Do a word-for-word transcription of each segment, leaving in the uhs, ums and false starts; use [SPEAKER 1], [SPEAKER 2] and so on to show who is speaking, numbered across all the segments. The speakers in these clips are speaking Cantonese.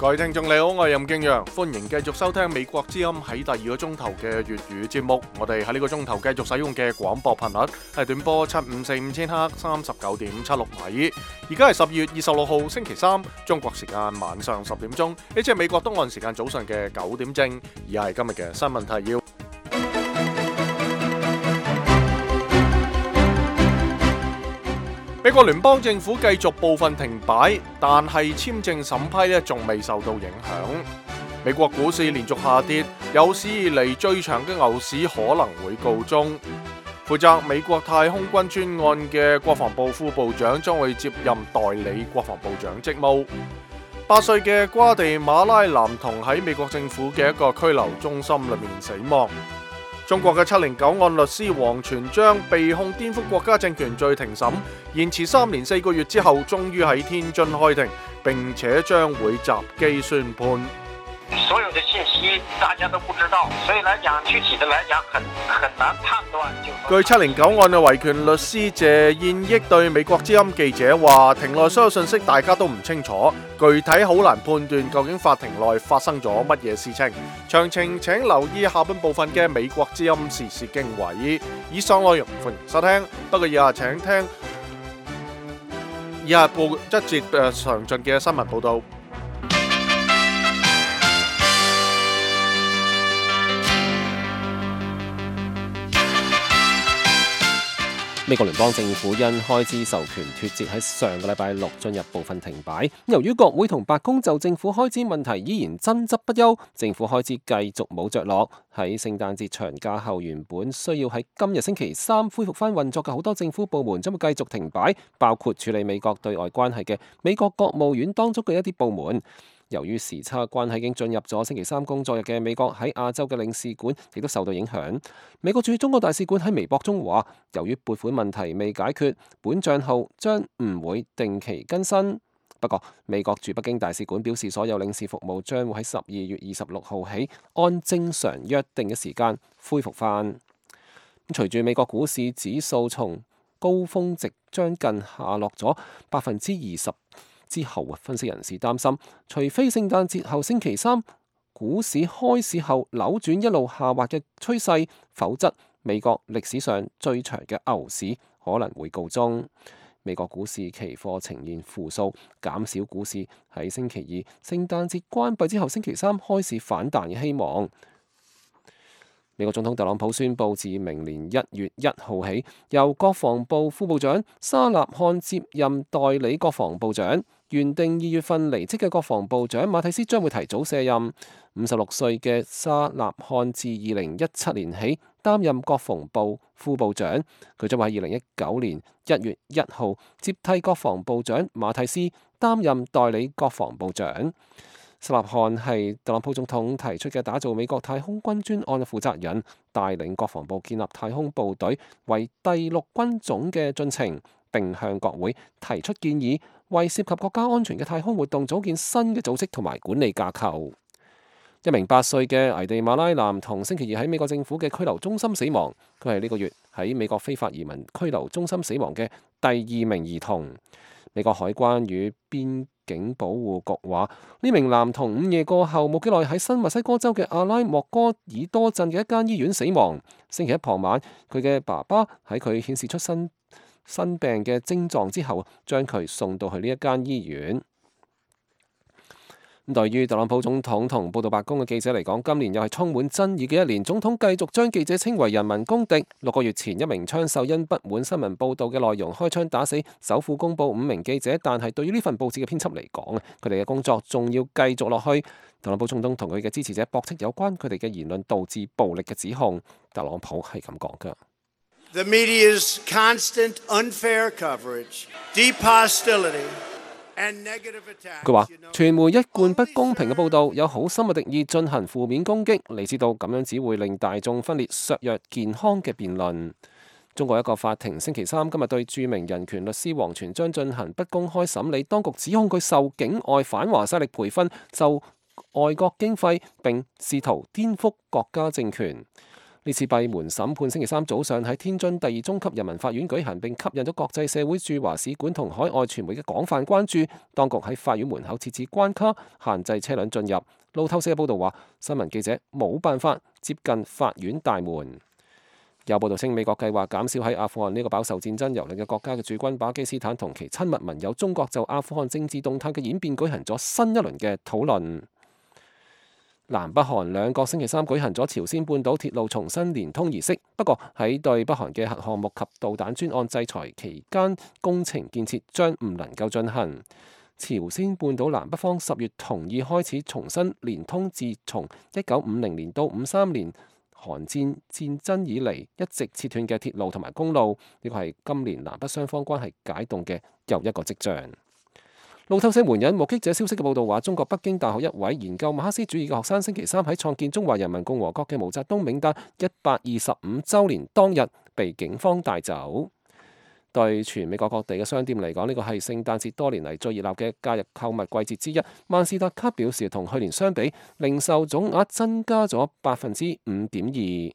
[SPEAKER 1] 各位聽眾你好，我係任敬陽，歡迎繼續收聽美國之音喺第二個鐘頭嘅粵語節目。我哋喺呢個鐘頭繼續使用嘅廣播頻率係短波七五四五千赫三十九點七六米。而家係十二月二十六號星期三，中國時間晚上十點鐘，呢即係美國東岸時間早上嘅九點正。而係今日嘅新聞提要。美國聯邦政府繼續部分停擺，但係簽證審批咧仲未受到影響。美國股市連續下跌，有史以嚟最長嘅牛市可能會告終。負責美國太空軍專案嘅國防部副部長將會接任代理國防部長職務。八歲嘅瓜地馬拉男童喺美國政府嘅一個拘留中心裏面死亡。中國嘅七零九案律師王全璋被控顛覆國家政權罪庭審，延遲三年四個月之後，終於喺天津開庭，並且將會擇機宣判。
[SPEAKER 2] 所有的信息大家都不知道，所以來講具體的來講很很難判斷。
[SPEAKER 1] 據七零九案嘅維權律師謝燕益對美國之音記者話，庭內所有信息大家都唔清楚，具體好難判斷究竟法庭內發生咗乜嘢事情。詳情請留意下半部分嘅美國之音時事經緯。以上內容歡迎收聽，不過以下請聽以下報一節誒詳盡嘅新聞報道。
[SPEAKER 3] 美國聯邦政府因開支授權脫節，喺上個禮拜六進入部分停擺。由於國會同白宮就政府開支問題依然爭執不休，政府開支繼續冇着落。喺聖誕節長假後，原本需要喺今日星期三恢復翻運作嘅好多政府部門將會繼續停擺，包括處理美國對外關係嘅美國國務院當中嘅一啲部門。由於時差關係，已經進入咗星期三工作日嘅美國喺亞洲嘅領事館亦都受到影響。美國駐中國大使館喺微博中話，由於撥款問題未解決，本賬號將唔會定期更新。不過，美國駐北京大使館表示，所有領事服務將會喺十二月二十六號起按正常約定嘅時間恢復翻。隨住美國股市指數從高峰值將近下落咗百分之二十。之後，分析人士擔心，除非聖誕節後星期三股市開市後扭轉一路下滑嘅趨勢，否則美國歷史上最長嘅牛市可能會告終。美國股市期貨呈現負數，減少股市喺星期二聖誕節關閉之後星期三開市反彈嘅希望。美國總統特朗普宣布，自明年一月一號起，由國防部副部長沙納漢接任代理國防部長。原定二月份離職嘅國防部長馬蒂斯將會提早卸任。五十六歲嘅沙納漢自二零一七年起擔任國防部副部長，佢將會喺二零一九年一月一號接替國防部長馬蒂斯擔任代理國防部長。沙納漢係特朗普總統提出嘅打造美國太空軍專案嘅負責人，帶領國防部建立太空部隊為第六軍種嘅進程，並向國會提出建議，為涉及國家安全嘅太空活動組建新嘅組織同埋管理架構。一名八歲嘅危地馬拉男童星期二喺美國政府嘅拘留中心死亡，佢係呢個月喺美國非法移民拘留中心死亡嘅第二名兒童。美國海關與邊境保護局話，呢名男童午夜過後冇幾耐喺新墨西哥州嘅阿拉莫戈爾多鎮嘅一間醫院死亡。星期一傍晚，佢嘅爸爸喺佢顯示出新新病嘅症狀之後，將佢送到去呢一間醫院。咁對於特朗普總統同報道白宮嘅記者嚟講，今年又係充滿爭議嘅一年。總統繼續將記者稱為人民公敵。六個月前，一名槍手因不滿新聞報導嘅內容開槍打死首府公佈五名記者，但係對於呢份報紙嘅編輯嚟講，佢哋嘅工作仲要繼續落去。特朗普總統同佢嘅支持者駁斥有關佢哋嘅言論導致暴力嘅指控。特朗普係咁講㗎。
[SPEAKER 4] The media's constant unfair coverage, deep hostility, and negative attacks.
[SPEAKER 3] 佢話：傳媒一貫不公平嘅報導，有好深嘅敵意進行負面攻擊，你知道咁樣只會令大眾分裂，削弱健康嘅辯論。中國一個法庭星期三今日對著名人權律師王全璋進行不公開審理，當局指控佢受境外反華勢力培訓，受外國經費並試圖顛覆國家政權。呢次閉門審判星期三早上喺天津第二中級人民法院舉行，並吸引咗國際社會駐華使館同海外傳媒嘅廣泛關注。當局喺法院門口設置關卡，限制車輛進入。路透社報道話，新聞記者冇辦法接近法院大門。有報道稱，美國計劃減少喺阿富汗呢個飽受戰爭蹂躪嘅國家嘅駐軍。巴基斯坦同其親密盟友中國就阿富汗政治動態嘅演變舉行咗新一輪嘅討論。南北韓兩國星期三舉行咗朝鮮半島鐵路重新連通儀式，不過喺對北韓嘅核項目及導彈專案制裁期間，工程建設將唔能夠進行。朝鮮半島南北方十月同意開始重新連通自從一九五零年到五三年韓戰戰爭以嚟一直切斷嘅鐵路同埋公路，呢個係今年南北雙方關係解凍嘅又一個跡象。路透社援引目擊者消息嘅報導話，中國北京大學一位研究馬克思主義嘅學生星期三喺創建中華人民共和國嘅毛澤東銘誕一百二十五週年當日被警方帶走。對全美國各地嘅商店嚟講，呢個係聖誕節多年嚟最熱鬧嘅假日購物季節之一。萬事達卡表示，同去年相比，零售總額增加咗百分之五點二。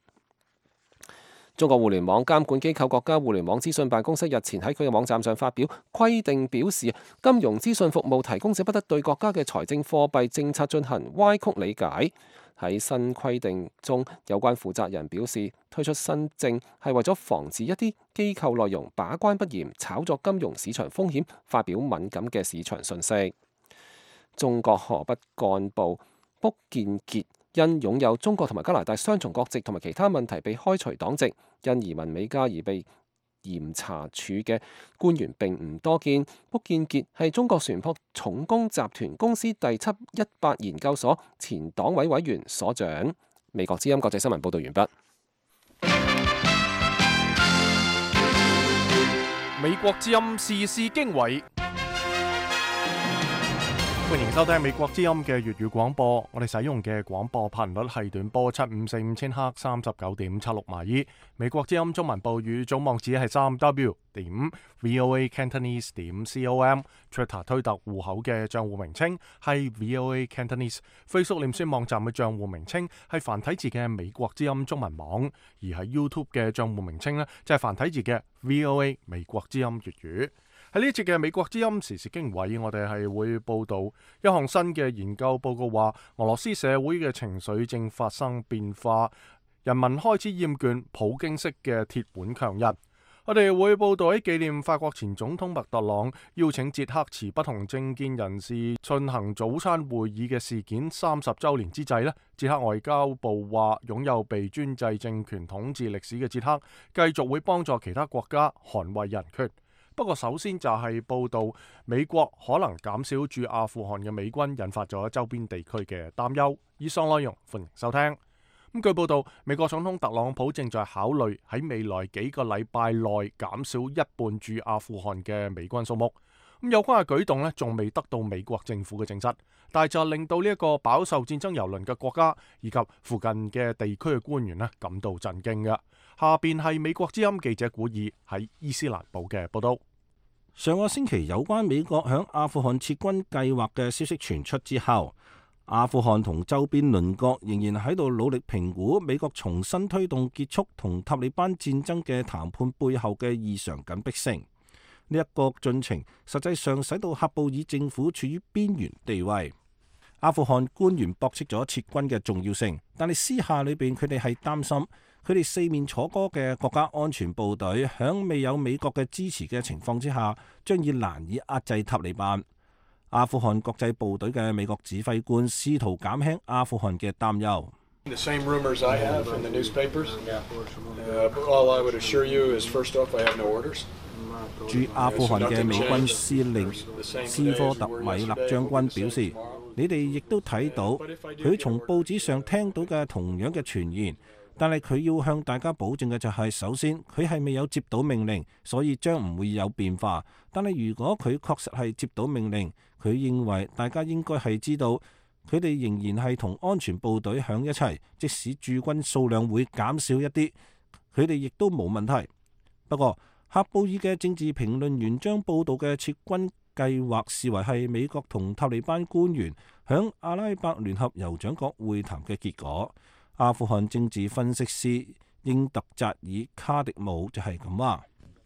[SPEAKER 3] 中國互聯網監管機構國家互聯網資訊辦公室日前喺佢嘅網站上發表規定，表示金融資訊服務提供者不得對國家嘅財政貨幣政策進行歪曲理解。喺新規定中，有關負責人表示，推出新政係為咗防止一啲機構內容把關不嚴，炒作金融市場風險，發表敏感嘅市場信息。中國河北幹部卜建傑因擁有中國同埋加拿大雙重國籍同埋其他問題被開除黨籍，因移民美加而被嚴查處嘅官員並唔多見。卜建傑係中國船舶重工集團公司第七一八研究所前黨委委員、所長。美國之音國際新聞報道完畢。
[SPEAKER 1] 美國之音時事經緯。歡迎收聽美國之音嘅粵語廣播，我哋使用嘅廣播頻率係短波七五四五千赫三十九點七六米。美國之音中文部語總網址係三 w 點 voa cantonese 點 com。Twitter 推特戶口嘅賬戶名稱係 voa cantonese。Facebook 臉書網站嘅賬戶名稱係繁體字嘅美國之音中文網，而喺 YouTube 嘅賬戶名稱呢，就係繁體字嘅 voa 美國之音粵語。喺呢一節嘅美國之音時事經緯，我哋係會報道一項新嘅研究報告，話俄羅斯社會嘅情緒正發生變化，人民開始厭倦普京式嘅鐵腕強人。我哋會報道喺紀念法國前總統麥特朗邀請捷克持不同政見人士進行早餐會議嘅事件三十週年之際呢，捷克外交部話，擁有被專制政權統治歷史嘅捷克繼續會幫助其他國家捍衛人權。不過首先就係報道美國可能減少駐阿富汗嘅美軍，引發咗周邊地區嘅擔憂。以上內容歡迎收聽。咁據報道，美國總統特朗普正在考慮喺未來幾個禮拜內減少一半駐阿富汗嘅美軍數目。咁有關嘅舉動呢，仲未得到美國政府嘅證實，但係就令到呢一個飽受戰爭蹂躪嘅國家以及附近嘅地區嘅官員呢感到震驚嘅。下邊係美國之音記者古爾喺伊斯蘭堡嘅報道。
[SPEAKER 5] 上個星期有關美國響阿富汗撤軍計劃嘅消息傳出之後，阿富汗同周邊鄰國仍然喺度努力評估美國重新推動結束同塔利班戰爭嘅談判背後嘅異常緊迫性。呢一個進程實際上使到喀布爾政府處於邊緣地位。阿富汗官員駁斥咗撤軍嘅重要性，但係私下裏邊佢哋係擔心，佢哋四面楚歌嘅國家安全部隊響未有美國嘅支持嘅情況之下，將以難以壓制塔利班。阿富汗國際部隊嘅美國指揮官試圖減輕阿富汗嘅擔憂。
[SPEAKER 6] The same rumors I have in the newspapers. Uh, all I would assure you is, first off, I have no orders.
[SPEAKER 5] 駐阿富汗嘅美軍司令斯科特米勒將軍表示，你哋亦都睇到佢從報紙上聽到嘅同樣嘅傳言，但係佢要向大家保證嘅就係，首先佢係未有接到命令，所以將唔會有變化。但係如果佢確實係接到命令，佢認為大家應該係知道，佢哋仍然係同安全部隊響一齊，即使駐軍數量會減少一啲，佢哋亦都冇問題。不過，喀布爾嘅政治評論員將報道嘅撤軍計劃視為係美國同塔利班官員響阿拉伯聯合酋長國會談嘅結果。阿富汗政治分析師英特扎爾卡迪姆就係咁話。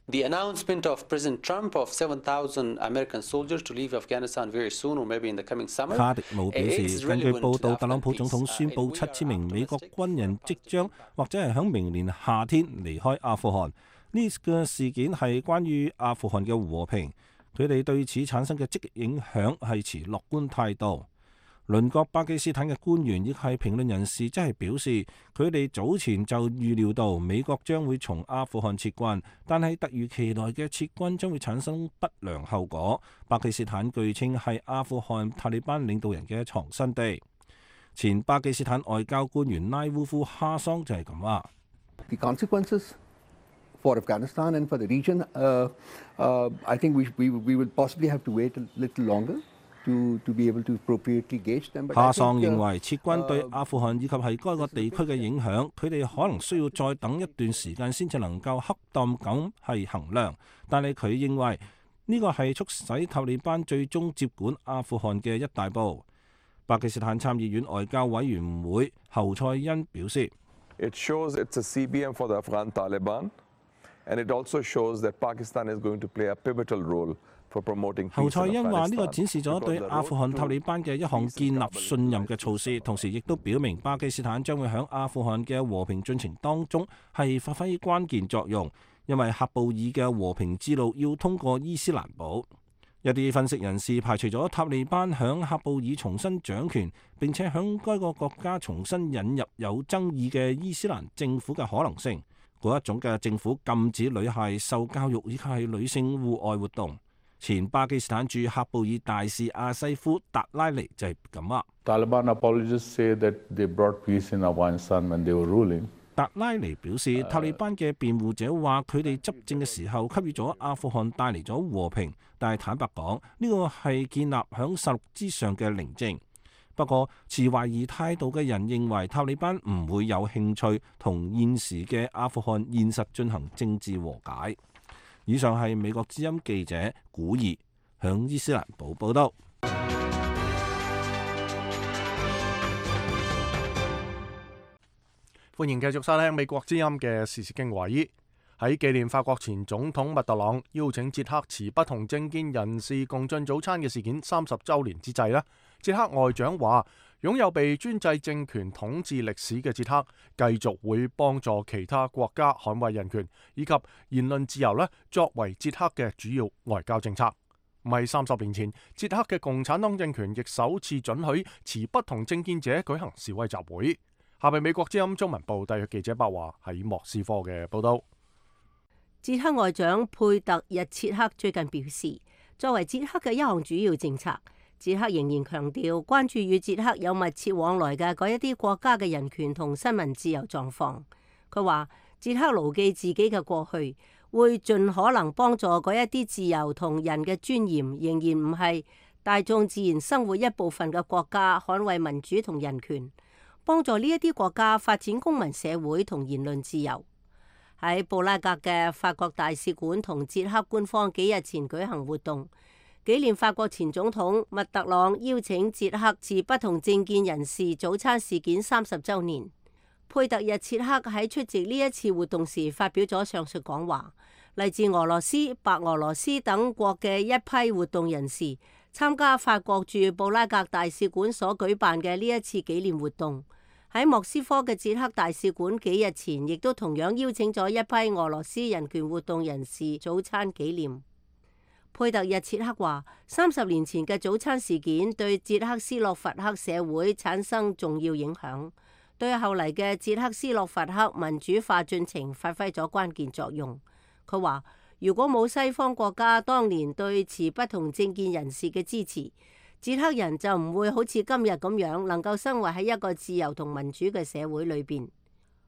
[SPEAKER 7] The announcement of President Trump of seven thousand American soldiers to leave Afghanistan very soon, or maybe in the coming summer.
[SPEAKER 5] 卡迪姆表示，根據報道，特朗普總統宣布七千名美國軍人即將或者係響明年夏天離開阿富汗。呢個事件係關於阿富汗嘅和平，佢哋對此產生嘅積極影響係持樂觀態度。鄰國巴基斯坦嘅官員亦係評論人士，即係表示佢哋早前就預料到美國將會從阿富汗撤軍，但係突如其來嘅撤軍將會產生不良後果。巴基斯坦據稱係阿富汗塔利班領導人嘅藏身地。前巴基斯坦外交官員拉烏夫哈桑就係咁話。
[SPEAKER 8] The consequences for Afghanistan and for the region, uh, uh, I think we, we, we will possibly have to wait a little longer. To, to be able to appropriately gauge them.
[SPEAKER 5] 哈桑認為撤軍對阿富汗以及係該個地區嘅影響，佢哋可能需要再等一段時間先至能夠恰當咁係衡量。但係佢認為呢個係促使塔利班最終接管阿富汗嘅一大步。巴基斯坦參議院外交委員會侯賽因表示
[SPEAKER 9] ，It shows it's a C B M for the Afghan Taliban, and it also shows that Pakistan is going to play a pivotal role.侯賽因話：呢個展示咗對阿富汗塔利班嘅一項建立信任嘅措施，同時亦都表明巴基斯坦將會喺阿富汗嘅和平進程當中係發揮關鍵作用，因為喀布爾嘅和平之路要通過伊斯蘭堡。一啲分析人士排除咗塔利班響喀布爾重新掌權，並且響該個國家重新引入有爭議嘅伊斯蘭政府嘅可能性。嗰一種嘅政府禁止女孩受教育以及係女性戶外活動。前巴基斯坦駐喀布爾大使阿西夫達拉尼就係咁話。
[SPEAKER 10] Taliban apologists say that they brought peace in Afghanistan when they were ruling.
[SPEAKER 5] 達拉尼表示，塔利班嘅辯護者話佢哋執政嘅時候給予咗阿富汗帶嚟咗和平，但係坦白講，呢個係建立響實錄之上嘅寧靜。不過，持懷疑態度嘅人認為塔利班唔會有興趣同現時嘅阿富汗現實進行政治和解。以上係美國之音記者古爾響伊斯蘭堡報道。
[SPEAKER 1] 歡迎繼續收聽美國之音嘅時事經緯。喺紀念法國前總統密特朗邀請捷克持不同政見人士共進早餐嘅事件三十週年之際呢，捷克外長話，擁有被專制政權統治歷史嘅捷克，繼續會幫助其他國家捍衛人權以及言論自由呢，作為捷克嘅主要外交政策。唔係三十年前，捷克嘅共產黨政權亦首次准許持不同政見者舉行示威集會。下邊美國之音中文部特約記者白華喺莫斯科嘅報道。
[SPEAKER 11] 捷克外長佩特日切克最近表示，作為捷克嘅一項主要政策，捷克仍然強調關注與捷克有密切往來嘅嗰一啲國家嘅人權同新聞自由狀況。佢話捷克牢記自己嘅過去，會盡可能幫助嗰一啲自由同人嘅尊嚴仍然唔係大眾自然生活一部分嘅國家捍衛民主同人權，幫助呢一啲國家發展公民社會同言論自由。喺布拉格嘅法國大使館同捷克官方幾日前舉行活動，紀念法國前總統密特朗邀請捷克持不同政見人士早餐事件三十週年。佩特日切克喺出席呢一次活動時發表咗上述講話。嚟自俄羅斯、白俄羅斯等國嘅一批活動人士參加法國駐布拉格大使館所舉辦嘅呢一次紀念活動。喺莫斯科嘅捷克大使館幾日前亦都同樣邀請咗一批俄羅斯人權活動人士早餐紀念。佩特日切克話：三十年前嘅早餐事件對捷克斯洛伐克社會產生重要影響，對後嚟嘅捷克斯洛伐克民主化進程發揮咗關鍵作用。佢話：如果冇西方國家當年對持不同政見人士嘅支持，捷克人就唔會好似今日咁樣能夠生活喺一個自由同民主嘅社會裏邊。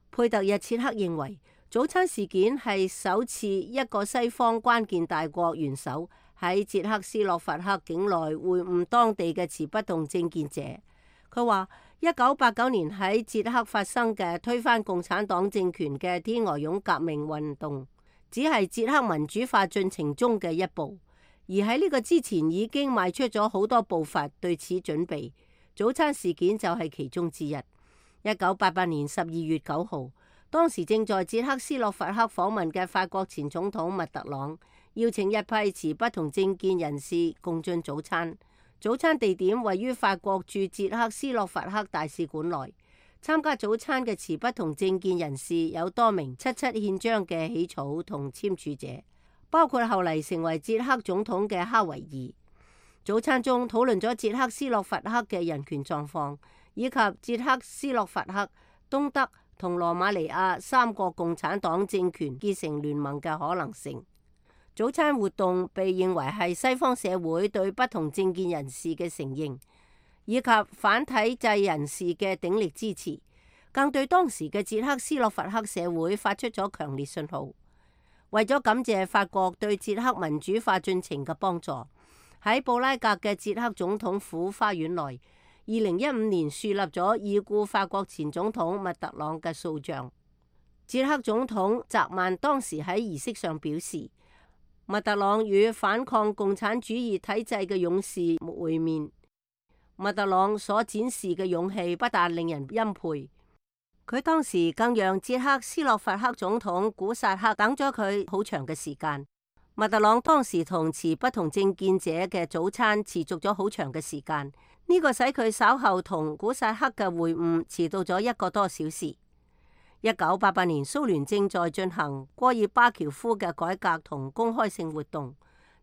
[SPEAKER 11] 佩特日切克認為，早餐事件係首次一個西方關鍵大國元首喺捷克斯洛伐克境內會晤當地嘅持不同政見者。佢話：一九八九年喺捷克發生嘅推翻共產黨政權嘅天鵝絨革命運動，只係捷克民主化進程中嘅一步。而喺呢個之前已經邁出咗好多步伐對此準備，早餐事件就係其中之一。一九八八年十二月九號，當時正在捷克斯洛伐克訪問嘅法國前總統密特朗邀請一批持不同政見人士共進早餐。早餐地點位於法國駐捷克斯洛伐克大使館內。參加早餐嘅持不同政見人士有多名七七憲章嘅起草同簽署者，包括後嚟成為捷克總統嘅哈維爾。早餐中討論咗捷克斯洛伐克嘅人權狀況，以及捷克斯洛伐克、東德同羅馬尼亞三個共產黨政權結成聯盟嘅可能性。早餐活動被認為係西方社會對不同政見人士嘅承認，以及反體制人士嘅鼎力支持，更對當時嘅捷克斯洛伐克社會發出咗強烈信號。為咗感謝法國對捷克民主化進程嘅幫助，喺布拉格嘅捷克總統府花園內，二零一五年樹立咗已故法國前總統密特朗嘅塑像。捷克總統澤曼當時喺儀式上表示，密特朗與反抗共產主義體制嘅勇士會面。密特朗所展示嘅勇氣不但令人欽佩，佢當時更讓捷克斯洛伐克總統古薩克等咗佢好長嘅時間。密特朗當時同持不同政見者嘅早餐持續咗好長嘅時間，呢個使佢稍後同古薩克嘅會晤遲到咗一個多小時。一九八八年蘇聯正在進行戈爾巴喬夫嘅改革同公開性活動，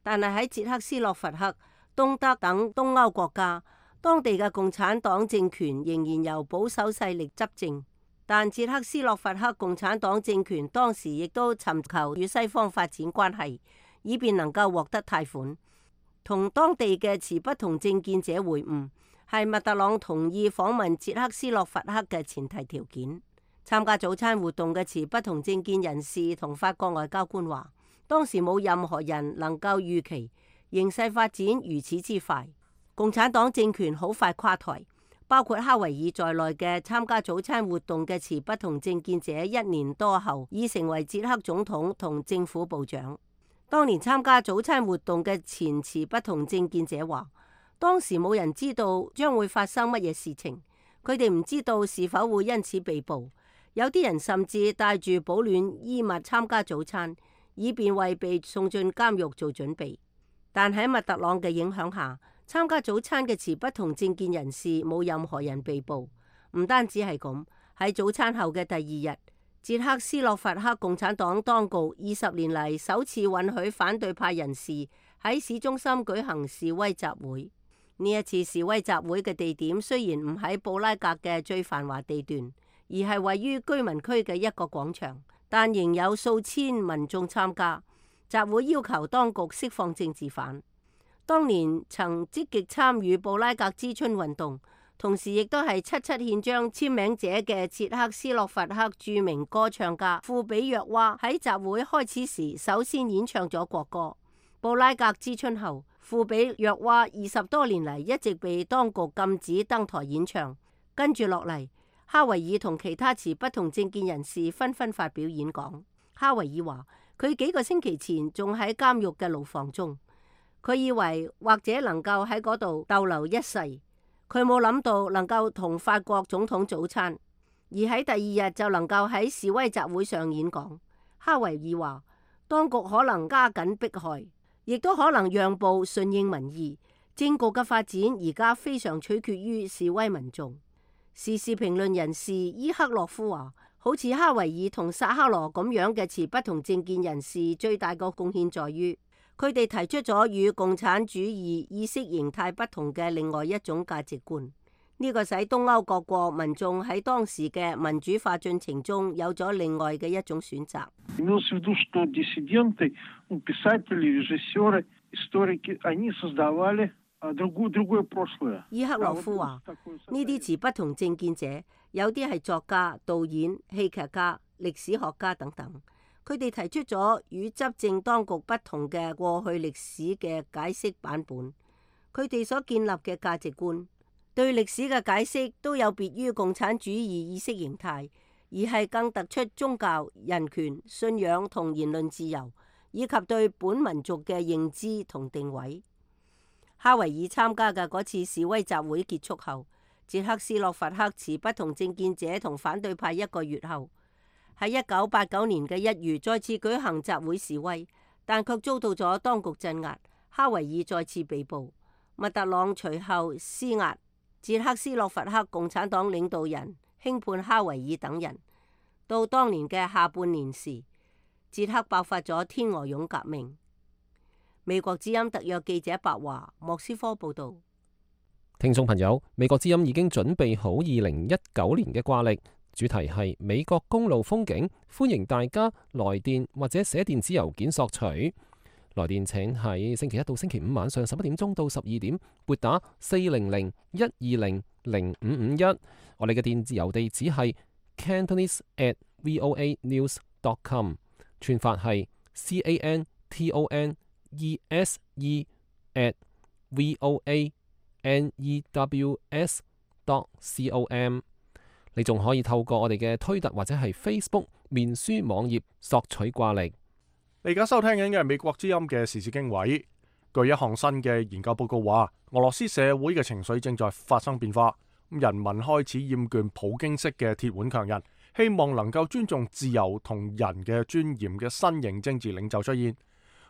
[SPEAKER 11] 但係喺捷克斯洛伐克、東德等東歐國家，當地嘅共產黨政權仍然由保守勢力執政。但捷克斯洛伐克共產黨政權當時亦都尋求與西方發展關係，以便能夠獲得貸款。同當地嘅持不同政見者會晤，係密特朗同意訪問捷克斯洛伐克嘅前提條件。參加早餐活動嘅持不同政見人士同法國外交官話，當時冇任何人能夠預期形勢發展如此之快，共產黨政權好快垮台。包括哈維爾在內嘅參加早餐活動嘅持不同政見者，一年多後已成為捷克總統同政府部長。當年參加早餐活動嘅前持不同政見者話，當時冇人知道將會發生乜嘢事情，佢哋唔知道是否會因此被捕。有啲人甚至帶住保暖衣物參加早餐，以便為被送進監獄做準備。但喺密特朗嘅影響下，參加早餐嘅持不同政見人士冇任何人被捕。唔單止係咁，喺早餐後嘅第二日，捷克斯洛伐克共產黨當局二十年嚟首次允許反對派人士喺市中心舉行示威集會。呢一次示威集會嘅地點雖然唔喺布拉格嘅最繁華地段，而係位於居民區嘅一個廣場，但仍有數千民眾參加。集會要求當局釋放政治犯。當年曾積極參與布拉格之春運動，同時亦都係七七憲章簽名者嘅捷克斯洛伐克著名歌唱家庫比約娃喺集會開始時首先演唱咗國歌。布拉格之春後，庫比約娃二十多年嚟一直被當局禁止登台演唱。跟住落嚟，哈維爾同其他持不同政見人士紛紛發表演講。哈維爾話，佢幾個星期前仲喺監獄嘅牢房中。佢以為或者能夠喺嗰度逗留一世，佢冇諗到能夠同法國總統早餐，而喺第二日就能夠喺示威集會上演講。哈維爾話，當局可能加緊迫害，亦都可能讓步順應民意。政局嘅發展而家非常取決於示威民眾。時事評論人士伊克洛夫話，好似哈維爾同薩克羅咁樣嘅持不同政見人士，最大個貢獻在於，佢哋提出咗與共產主義意識形態不同嘅另外一種價值觀，呢個使東歐各國民眾喺當時嘅民主化進程中有咗另外嘅一種選擇。伊克洛夫話：呢啲持不同政見者，有啲係作家、導演、戲劇家、歷史學家等等。佢哋提出咗與執政當局不同嘅過去歷史嘅解釋版本，佢哋所建立嘅價值觀對歷史嘅解釋都有別於共產主義意識形態，而係更突出宗教、人權、信仰同言論自由，以及對本民族嘅認知同定位。哈維爾參加嘅嗰次示威集會結束後，捷克斯洛伐克持不同政見者同反對派一個月後，喺一九八九年嘅一月再次舉行集會示威，但卻遭到咗當局鎮壓。哈維爾再次被捕，密特朗隨後施壓，捷克斯洛伐克共產黨領導人輕判哈維爾等人。到當年嘅下半年時，捷克爆發咗天鵝絨革命。美國之音特約記者白華莫斯科報道。
[SPEAKER 3] 聽眾朋友，美國之音已經準備好二零一九年嘅掛曆，主題係美國公路風景，歡迎大家來電或者寫電子郵件索取。來電請喺星期一到星期五晚上十一點鐘到十二點撥打四零零一二零零五五一。我哋嘅電子郵地址係 cantonese at voa news dot com， 串法係 c a n t o n e s e at voa n e w s dot com。 你仲可以透過我哋嘅推特或者係 Facebook 面書網頁索取掛曆。
[SPEAKER 1] 你而家收聽緊嘅係美國之音嘅時事經緯。據一項新嘅研究報告話，俄羅斯社會嘅情緒正在發生變化，人民開始厭倦普京式嘅鐵腕強人，希望能夠尊重自由同人嘅尊嚴嘅新型政治領袖出現。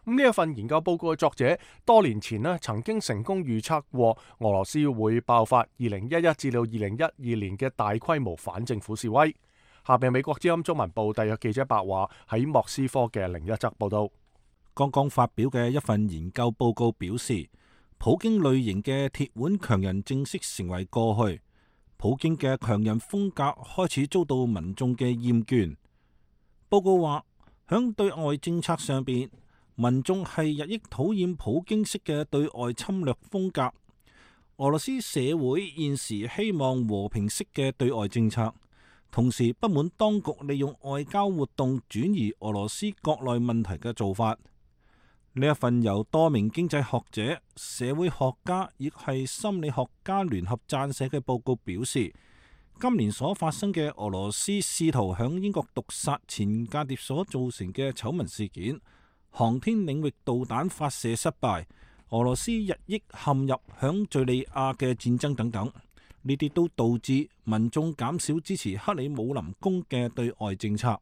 [SPEAKER 1] 咁呢一份研究報告嘅作者多年前呢曾經成功預測過俄羅斯會爆發二零一一至到二零一二年嘅大規模反政府示威。下邊美國之音中文部特約記者白華喺莫斯科嘅另一則報道。
[SPEAKER 5] 剛剛發表嘅一份研究報告表示，普京類型嘅鐵腕強人正式成為過去，普京嘅強人風格開始遭到民眾嘅厭倦。報告話，響對外政策上邊，民眾係日益討厭普京式嘅對外侵略風格。俄羅斯社會現時希望和平式嘅對外政策，同時不滿當局利用外交活動轉移俄羅斯國內問題嘅做法。呢一份由多名經濟學者、社會學家亦係心理學家聯合撰寫嘅報告表示，今年所發生嘅俄羅斯試圖響英國毒殺前間諜所造成嘅醜聞事件、航天領域導彈發射失敗、俄羅斯日益陷入響敘利亞嘅戰爭等等，呢啲都導致民眾減少支持克里姆林宮嘅對外政策。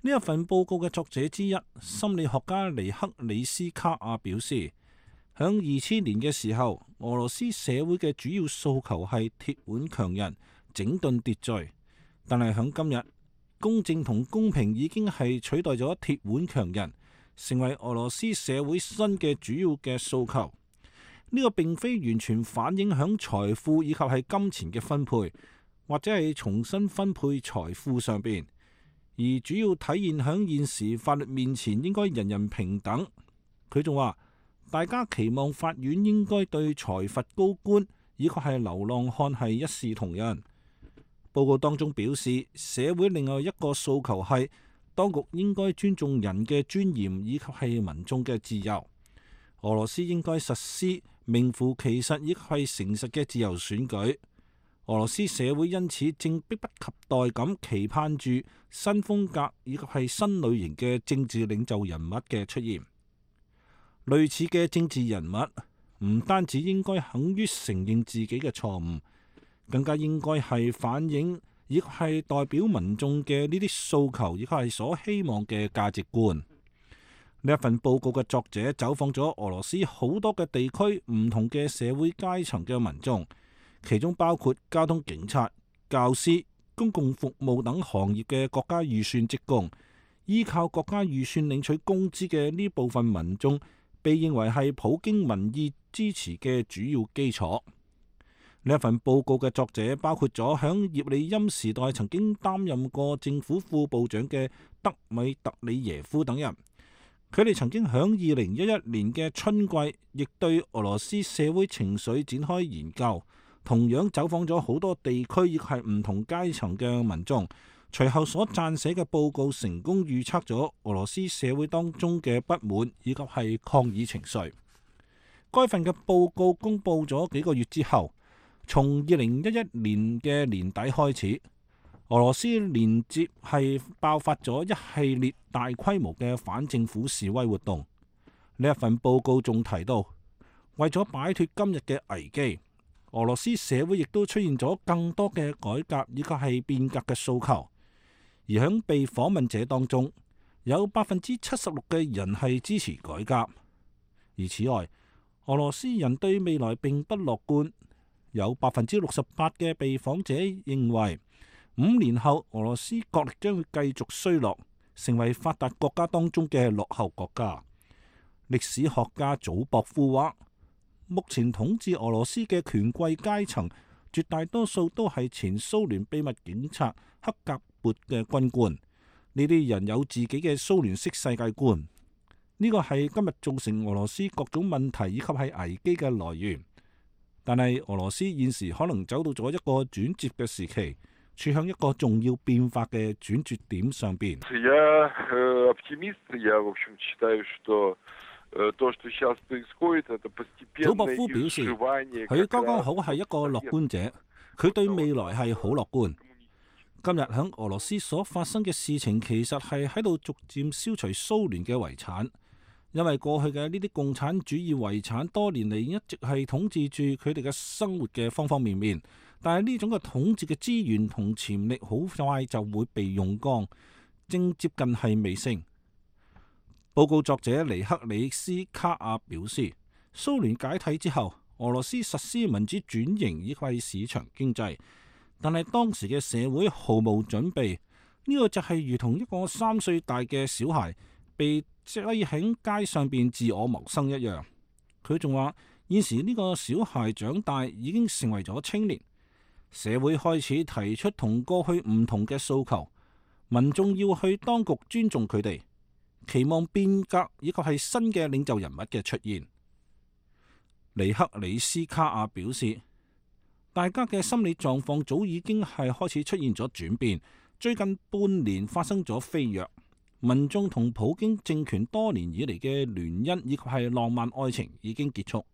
[SPEAKER 5] 呢一份報告嘅作者之一，心理學家尼克里斯卡亞表示，響二千年嘅時候，俄羅斯社會嘅主要訴求係鐵腕強人、整頓秩序，但係響今日，公正同公平已經係取代咗鐵腕強人，成為俄羅斯社會新嘅主要嘅訴求。呢個並非完全反映響財富以及係金錢嘅分配，或者係重新分配財富上邊，而主要體現響現時法律面前應該人人平等。佢仲話，大家期望法院應該對裁罰高官以及係流浪漢係一視同仁。報告當中表示，社會另外一個訴求係當局應該尊重人嘅尊嚴以及係民眾嘅自由。俄羅斯應該實施名副其實亦係誠實嘅自由選舉。俄羅斯社會因此正迫不及待咁期盼住新風格以及係新類型嘅政治領袖人物嘅出現。類似嘅政治人物唔單止應該肯於承認自己嘅錯誤，更加應該係反映亦係代表民眾嘅呢啲訴求，亦係所希望嘅價值觀。呢一份報告嘅作者走訪咗俄羅斯好多嘅地區，唔同嘅社會階層嘅民眾，其中包括交通警察、教師、公共服務等行業嘅國家預算職工，依靠國家預算領取工資嘅呢部分民眾，被認為係普京民意支持嘅主要基礎。呢一份報告嘅作者包括咗響葉利欽時代曾經擔任過政府副部長嘅德米特里耶夫等人。佢哋曾經響二零一一年嘅春季，亦對俄羅斯社會情緒展開研究，同樣走訪咗好多地區，亦係唔同階層嘅民眾。隨後所撰寫嘅報告成功預測咗俄羅斯社會當中嘅不滿以及係抗議情緒。該份嘅報告公佈咗幾個月之後，從二零一一年嘅年底開始，俄羅斯連接係爆發咗一系列大規模嘅反政府示威活動。呢一份報告仲提到，為咗擺脫今日嘅危機，俄羅斯社會亦都出現咗更多嘅改革以及係變革嘅訴求。而喺被訪問者當中，有百分之七十六嘅人係支持改革。而此外，俄羅斯人對未來並不樂觀，有百分之六十八嘅被訪者認為五年後俄羅斯國力將會繼續衰落，成為發達國家當中嘅落後國家。歷史學家祖博夫話，目前統治俄羅斯嘅權貴階層絕大多數都係前蘇聯秘密警察克格勃嘅軍官，呢啲人有自己嘅蘇聯式世界觀，呢個係今日造成俄羅斯各種問題以及係危機嘅來源。但係俄羅斯現時可能走到咗一個轉折嘅時期，處向一個重要變化嘅轉折點上邊。祖博夫表示，佢剛剛好係一個樂觀者，佢對未來係好樂觀。今日喺俄羅斯所發生嘅事情，其實係喺度逐漸消除蘇聯嘅遺產，因為過去嘅呢啲共產主義遺產多年嚟一直係統治住佢哋嘅生活嘅方方面面，但係呢種嘅統治嘅資源同潛力好快就會被用光，正接近係尾聲。報告作者尼克里斯卡亞表示，蘇聯解體之後，俄羅斯實施民主轉型以及市場經濟，但係當時嘅社會毫無準備，呢個就係如同一個三歲大嘅小孩被擠喺街上邊自我謀生一樣。佢仲話，現時呢個小孩長大已經成為咗青年，社會開始提出同過去唔同嘅訴求，民眾要去當局尊重佢哋，期望變革以及係新嘅領袖人物嘅出現。尼克里斯卡亞表示，大家嘅心理狀況早已經係開始出現咗轉變，最近半年發生咗飛躍，民眾同普京政權多年以嚟嘅聯姻以及係浪漫愛情已經結束。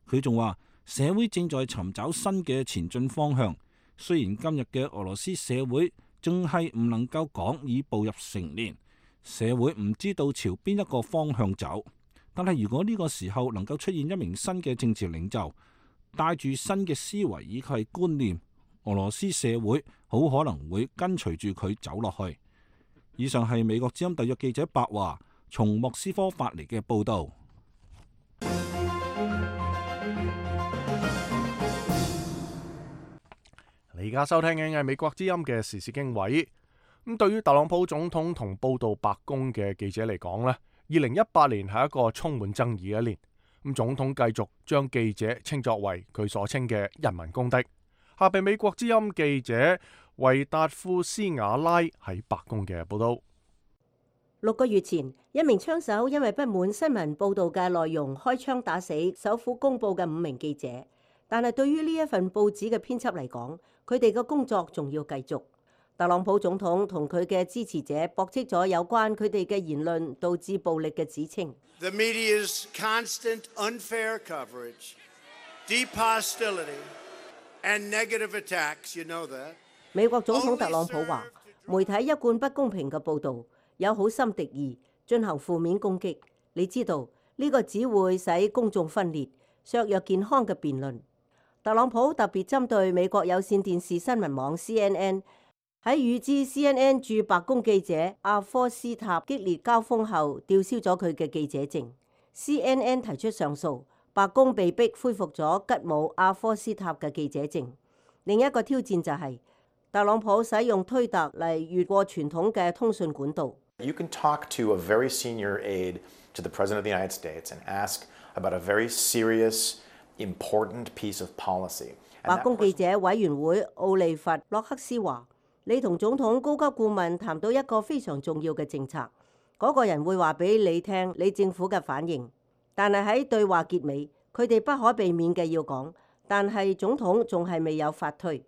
[SPEAKER 5] 佢仲話，社會正在尋找新嘅前進方向，雖然今日嘅俄羅斯社會仲係唔能夠講已步入成年，社會唔知道朝邊一個方向走，但係如果呢個時候能夠出現一名新嘅政治領袖，帶住新嘅思維以及係觀念，俄羅斯社會好可能會跟隨住佢走落去。以上係美國之音特約記者白華從莫斯科發嚟嘅報道。
[SPEAKER 1] 你而家收聽嘅係美國之音嘅時事經緯。咁對於特朗普總統同報道白宮嘅記者嚟講呢，二零一八年係一個充滿爭議嘅一年。咁總統繼續將記者稱作為佢所稱嘅人民公敵。下邊美國之音記者維達夫斯瓦拉喺白宮嘅報道。
[SPEAKER 11] 六個月前，一名槍手因為不滿新聞報道嘅內容，開槍打死首府公報嘅五名記者。但係對於呢一份報紙嘅編輯嚟講，佢哋嘅工作仲要繼續。特朗普總統同佢嘅支持者駁斥咗有關佢哋嘅言論導致暴力嘅指稱。
[SPEAKER 4] The media's constant unfair coverage, deep hostility, and negative attacks, you know that.
[SPEAKER 11] 美國總統特朗普話，媒體一貫不公平嘅報導，有好心敵意，進行負面攻擊。你知道呢個只會使公眾分裂，削弱健康嘅辯論。特朗普特別針對美國有線電視新聞網 C N N。喺與之 C N N 駐白宮記者阿科斯塔激烈交鋒後，吊銷咗佢嘅記者證。C N N 提出上訴，白宮被逼恢復咗吉姆阿科斯塔嘅記者證。另一個挑戰就係、是、特朗普使用推特嚟越過傳統嘅通訊管道。
[SPEAKER 12] You can talk to a very senior aide to the President of the United States and ask about a very serious, important piece of policy.
[SPEAKER 11] 白宮記者委員會奧利弗洛克斯話：你同總統高級顧問談到一個非常重要嘅政策，嗰、那個人會話俾你聽你政府嘅反應。但係喺對話結尾，佢哋不可避免嘅要講，但係總統仲係未有發推。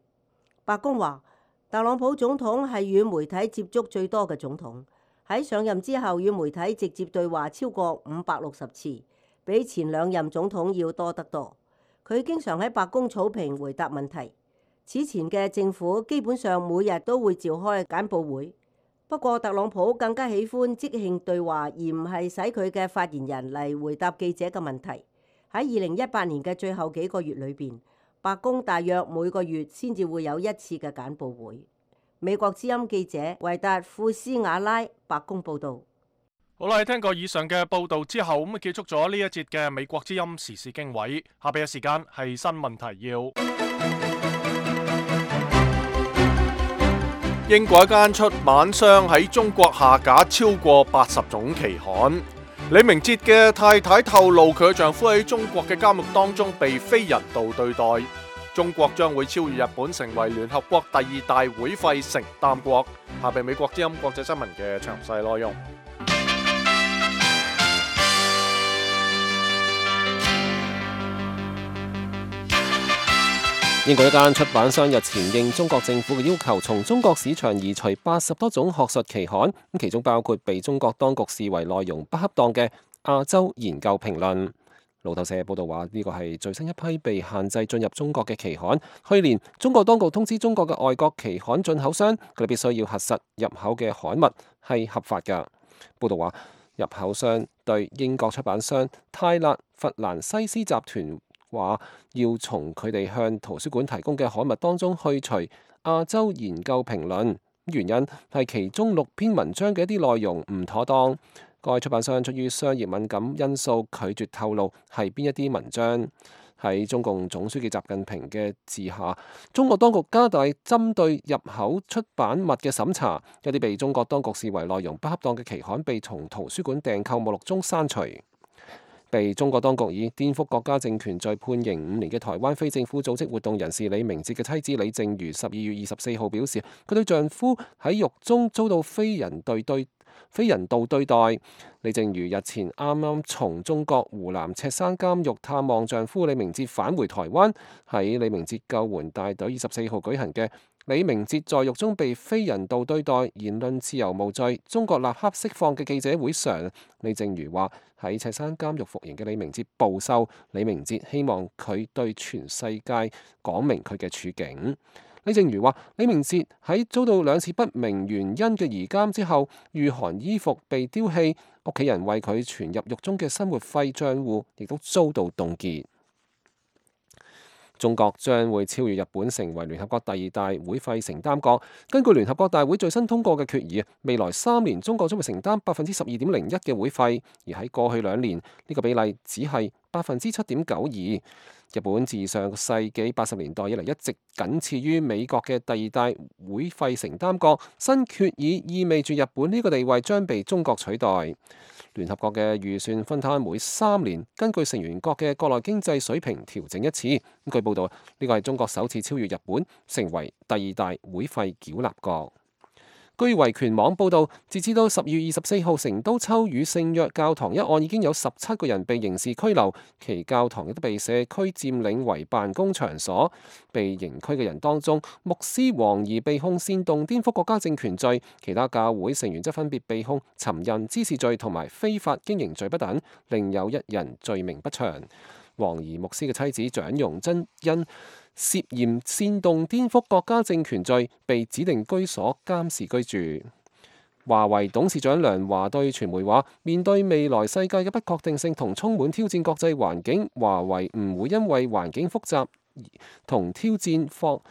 [SPEAKER 11] 白宮話，特朗普總統係與媒體接觸最多嘅總統，喺上任之後與媒體直接對話超過五百六十次，比前兩任總統要多得多。佢經常喺白宮草坪回答問題。此前嘅政府基本上每日都會召開簡報會，不過特朗普更加喜歡即興對話，而唔係使佢嘅發言人嚟回答記者嘅問題。喺二零一八年嘅最後幾個月裏邊，白宮大約每個月先至會有一次嘅簡報會。美國之音記者維達庫斯瓦拉白宮報導。
[SPEAKER 1] 好啦，聽過以上嘅報導之後，咁啊結束咗呢一節嘅美國之音時事經緯。下邊嘅時間係新聞提要。英國一間出版商喺中國下架超過八十種期刊。李明哲嘅太太透露，佢嘅丈夫喺中國嘅監獄當中被非人道對待。中國將會超越日本，成為聯合國第二大會費承擔國。下邊美國之音國際新聞嘅詳細內容。
[SPEAKER 3] 英國一間出版商日前應中國政府嘅要求，從中國市場移除八十多種學術期刊，咁其中包括被中國當局視為內容不恰當嘅《亞洲研究評論》。路透社報道話，呢個係最新一批被限制進入中國嘅期刊。去年，中國當局通知中國嘅外國期刊進口商，佢哋必須要核實入口嘅刊物係合法㗎。報道話，入口商對英國出版商泰勒弗蘭西斯集團話要從佢哋向圖書館提供嘅刊物當中去除《亞洲研究評論》，原因係其中六篇文章嘅一啲內容唔妥當。該出版商出於商業敏感因素拒絕透露係邊一啲文章。喺中共總書記習近平嘅治下，中國當局加大針對入口出版物嘅審查，一啲被中國當局視為內容不恰當嘅期刊被從圖書館訂購目錄中刪除。被中國當局以顛覆國家政權罪判刑五年嘅台灣非政府組織活動人士李明哲嘅妻子李淨瑜十二月二十四號表示，佢對丈夫喺獄中遭到非人對對非人道對待。李淨瑜日前啱啱從中國湖南赤山監獄探望丈夫李明哲返回台灣，喺李明哲救援大隊二十四號舉行嘅李明哲在獄中被非人道對待，言論自由無罪，中國立刻釋放嘅記者會上，李淨瑜話喺赤山監獄服刑嘅李明哲暴瘦，李明哲希望佢對全世界講明佢嘅處境。李淨瑜話，李明哲喺遭到兩次不明原因嘅移監之後，御寒衣服被丟棄，屋企人為佢存入獄中嘅生活費帳戶亦都遭到凍結。中國將會超越日本，成為聯合國第二大會費承擔國。根據聯合國大會最新通過嘅決議，未來三年中國將會承擔百分之十二點零一嘅會費，而喺過去兩年呢個比例只係百分之七點九二。日本自上個世紀八十年代以嚟一直僅次於美國嘅第二大會費承擔國。新決議意味住日本呢個地位將被中國取代。聯合國嘅預算分攤每三年根據成員國嘅國內經濟水平調整一次。據報道，呢個係中國首次超越日本，成為第二大會費繳納國。據維權網報導，截至到十月二十四號，成都秋雨聖約教堂一案已經有十七個人被刑事拘留，其教堂亦都被社區佔領為辦公場所。被刑拘嘅人當中，牧師黃怡被控煽動顛覆國家政權罪，其他教會成員則分別被控尋釁滋事罪同埋非法經營罪不等，另有一人罪名不詳。黃怡牧師嘅妻子蔣容真因涉嫌煽動顛覆國家政權罪，被指定居所監視居住。華為董事長梁華對傳媒話：面對未來世界嘅不確定性同充滿挑戰國際環境，華為唔會因為環境複雜同挑戰放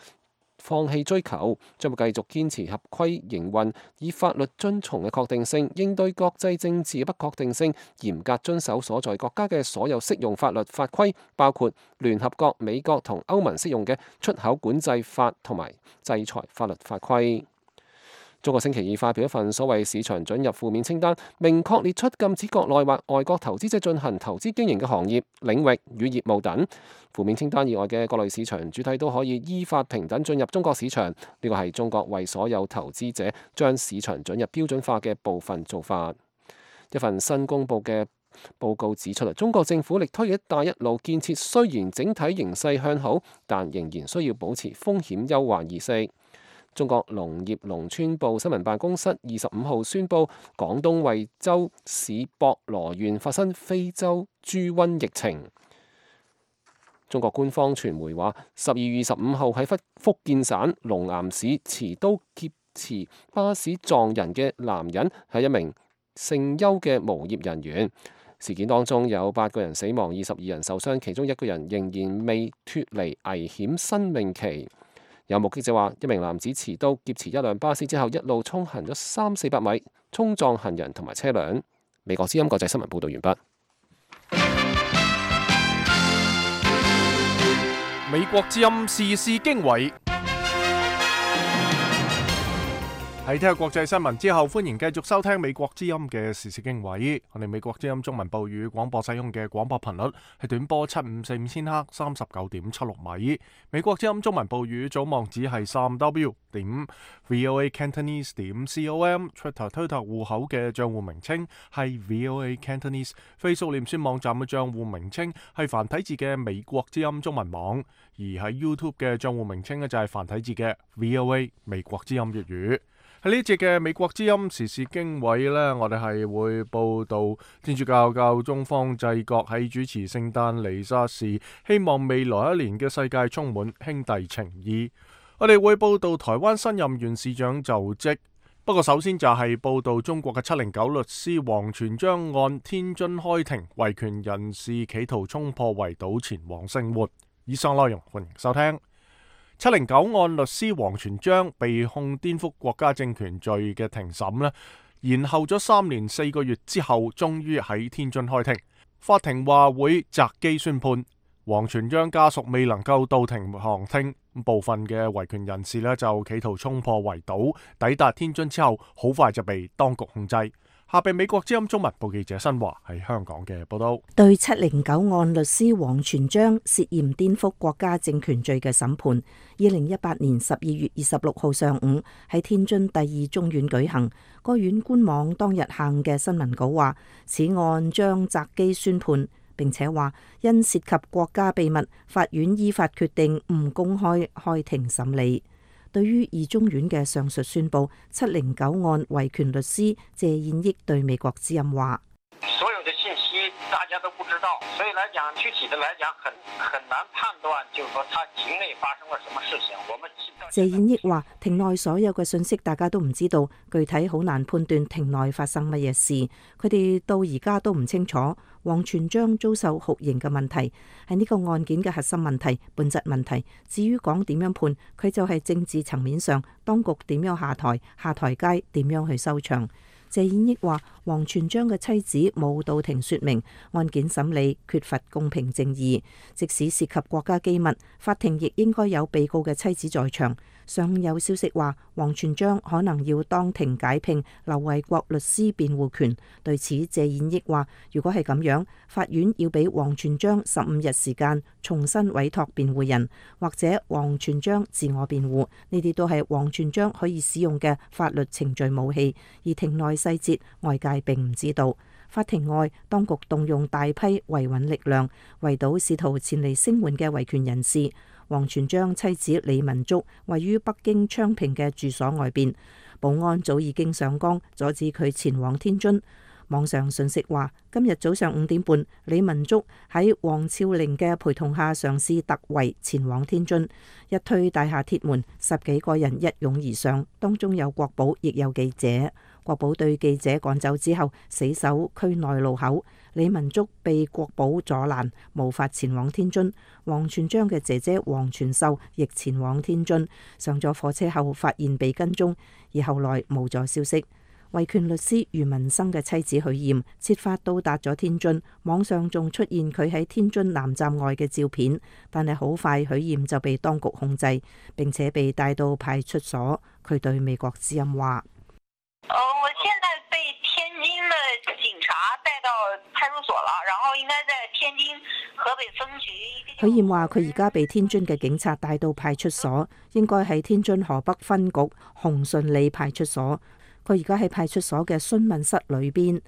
[SPEAKER 3] 放棄追求，將會繼續堅持合規營運，以法律遵從嘅確定性應對國際政治嘅不確定性，嚴格遵守所在國家嘅所有適用法律法規，包括聯合國、美國同歐盟適用嘅出口管制法同埋制裁法律法規。中國星期二發表一份所謂市場准入負面清單，明確列出禁止國內或外國投資者進行投資經營嘅行業、領域與業務等。負面清單以外嘅各類市場主體都可以依法平等進入中國市場。呢個係中國為所有投資者將市場准入標準化嘅部分做法。一份新公佈嘅報告指出，中國政府力推嘅一帶一路建設雖然整體形勢向好，但仍然需要保持風險憂患意識。中國農業農村部新聞辦公室二十五號宣布，廣東惠州市博羅縣發生非洲豬瘟疫情。中國官方傳媒話，十二月二十五號喺福福建省龍岩市持刀劫持巴士撞人嘅男人係一名姓邱嘅無業人員。事件當中有八個人死亡，二十二人受傷，其中一個人仍然未脫離危險生命期。有目擊者話，一名男子持刀劫持一輛巴士之後，一路衝行咗三四百米，衝撞行人同埋車輛。美國之音國際新聞報道完畢。
[SPEAKER 1] 美國之音時事經緯。喺聽下國際新聞之後，歡迎繼續收聽美國之音嘅時事經緯。我哋美國之音中文部語廣播使用嘅廣播頻率係短波七五四五千赫，三十九點七六米。美國之音中文部語總網址係三 w 點 voa cantonese 點 com。Twitter 推特戶口嘅賬戶名稱係 voa cantonese。Facebook 臉書網站嘅賬戶名稱係繁體字嘅美國之音中文網。而喺 YouTube 嘅賬戶名稱呢，就係繁體字嘅 voa 美國之音粵語。喺呢節嘅美國之音時事經緯呢，我哋係會報道天主教教宗方濟各喺主持聖誕彌撒時，希望未來一年嘅世界充滿兄弟情誼。我哋會報道台灣新任縣市長就職。不過首先就係報道中國嘅七零九律師王全璋案，天津開庭，維權人士企圖衝破圍堵前往聲援。以上內容歡迎收聽。七零九案律師王全璋被控顛覆國家政權罪嘅庭審呢，延後咗三年四個月之後，終於喺天津開庭。法庭話會擇機宣判。王全璋家屬未能夠到庭旁聽，部分嘅維權人士呢就企圖衝破圍堵，抵達天津之後，好快就被當局控制。下被美國之音中文部記者新華喺香港嘅報道。
[SPEAKER 13] 對七零九案律師王全璋涉嫌顛覆國家政權罪嘅審判，二零一八年十二月二十六號上午喺天津第二中院舉行。該院官網當日行嘅新聞稿話，此案將擇機宣判，並且話因涉及國家秘密，法院依法決定唔公開開庭審理。對於二中院嘅上述宣佈，七零九案維權律師謝燕益對美國之音話：
[SPEAKER 2] 所有的信息大家都不知道，所以來講具體的來講很很難判斷，就是說他庭內發生了什麼事情。我們
[SPEAKER 13] 謝燕益話：庭內所有嘅信息大家都唔知道，具體好難判斷庭內發生乜嘢事，佢哋到而家都唔清楚。王全璋遭受酷刑嘅問題係呢個案件嘅核心問題、本質問題。至於講點樣判，佢就係政治層面上，當局點樣下台、下台階點樣去收場。謝燕益話：王全璋嘅妻子冇到庭說明，案件審理缺乏公平正義。即使涉及國家機密，法庭亦應該有被告嘅妻子在場。尚有消息話，王全璋可能要當庭解聘劉衛國律師辯護權。對此，謝燕益話：如果係咁樣，法院要俾王全璋十五日時間重新委託辯護人，或者王全璋自我辯護。呢啲都係王全璋可以使用嘅法律程序武器，而庭內細節外界並唔知道。法庭外，當局動用大批維穩力量，圍堵試圖前嚟聲援嘅維權人士。王全璋妻子李文竹位於北京昌平嘅住所外邊，保安早已經上崗阻止佢前往天津。網上信息話，今日早上五點半，李文竹喺王峭嶺嘅陪同下嘗試突圍前往天津，一推大廈鐵門，十幾個人一擁而上，當中有國保，亦有記者。國保對記者趕走之後，死守區內路口。李文竹被國保阻攔，無法前往天津。王全璋嘅姐姐王全秀亦前往天津，上咗火車後發現被跟蹤，而後來無咗消息。維權律師余文生嘅妻子許艷設法到達咗天津，網上仲出現佢喺天津南站外嘅照片，但係好快許艷就被當局控制，並且被帶到派出所。佢對美國之音話：
[SPEAKER 14] 呃，我現在被天津的警察帶到派出所了，然後應該在天津河北分局。
[SPEAKER 13] 許燕話：佢而家被天津嘅警察帶到派出所，應該喺天津河北分局紅順里派出所。佢而家喺派出所嘅詢問室裏邊，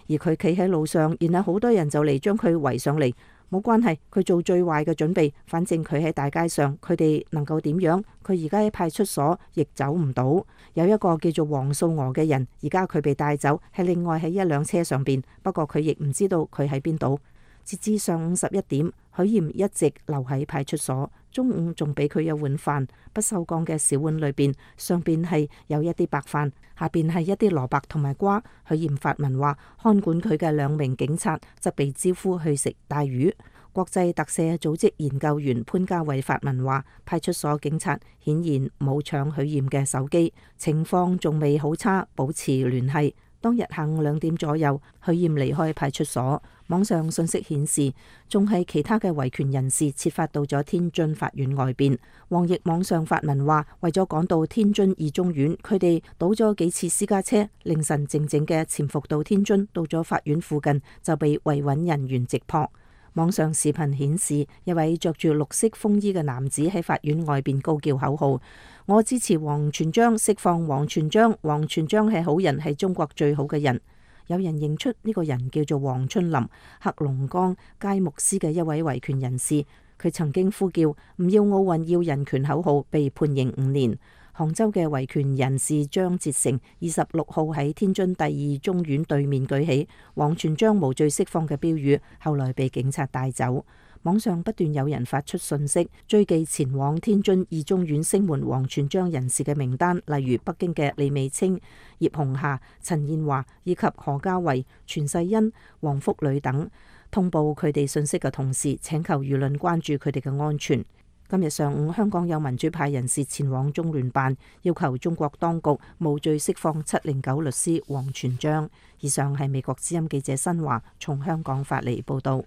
[SPEAKER 13] 而佢企喺路上，然後好多人就嚟將佢圍上嚟。冇關係，佢做最壞嘅準備。反正佢喺大街上，佢哋能夠點樣？佢而家喺派出所，亦走唔到。有一個叫做黃素娥嘅人，而家佢被帶走，係另外喺一輛車上邊。不過佢亦唔知道佢喺邊度。截至上午十一點，許艷一直留喺派出所。中午仲俾佢一碗飯，不鏽鋼嘅小碗裏邊，上邊係有一啲白飯，下邊係一啲蘿蔔同埋瓜。許艷發文話，看管佢嘅兩名警察則被招呼去食帶魚。國際特赦組織研究員潘家偉發文話，派出所警察顯然冇搶許艷嘅手機，情況仲未好差，保持聯繫。當日下午兩點左右，許艷離開派出所。網上信息顯示，仲係其他嘅維權人士設法到咗天津法院外邊。王毅網上發文話，為咗趕到天津二中院，佢哋倒咗幾次私家車，凌晨靜靜嘅潛伏到天津，到咗法院附近就被維穩人員直撲。網上視頻顯示，一位着住綠色風衣嘅男子喺法院外邊高叫口號：我支持王全璋，釋放王全璋，王全璋係好人，係中國最好嘅人。有人認出呢個人叫做黃春林，黑龍江佳木斯嘅一位維權人士，佢曾經呼叫唔要奧運要人權口號，被判刑五年。杭州嘅維權人士張哲成二十六號喺天津第二中院對面舉起王全璋無罪釋放嘅標語，後來被警察帶走。網上不斷有人發出信息，追記前往天津二中院聲援王全璋人士嘅名單，例如北京嘅李美清、葉紅霞、陳燕華以及何家維、全世恩、黃福磊等。通報佢哋信息嘅同時，請求輿論關注佢哋嘅安全。今日上午，香港有民主派人士前往中聯辦，要求中國當局無罪釋放七零九律師王全璋。以上係美國之音記者新華從香港發嚟報道。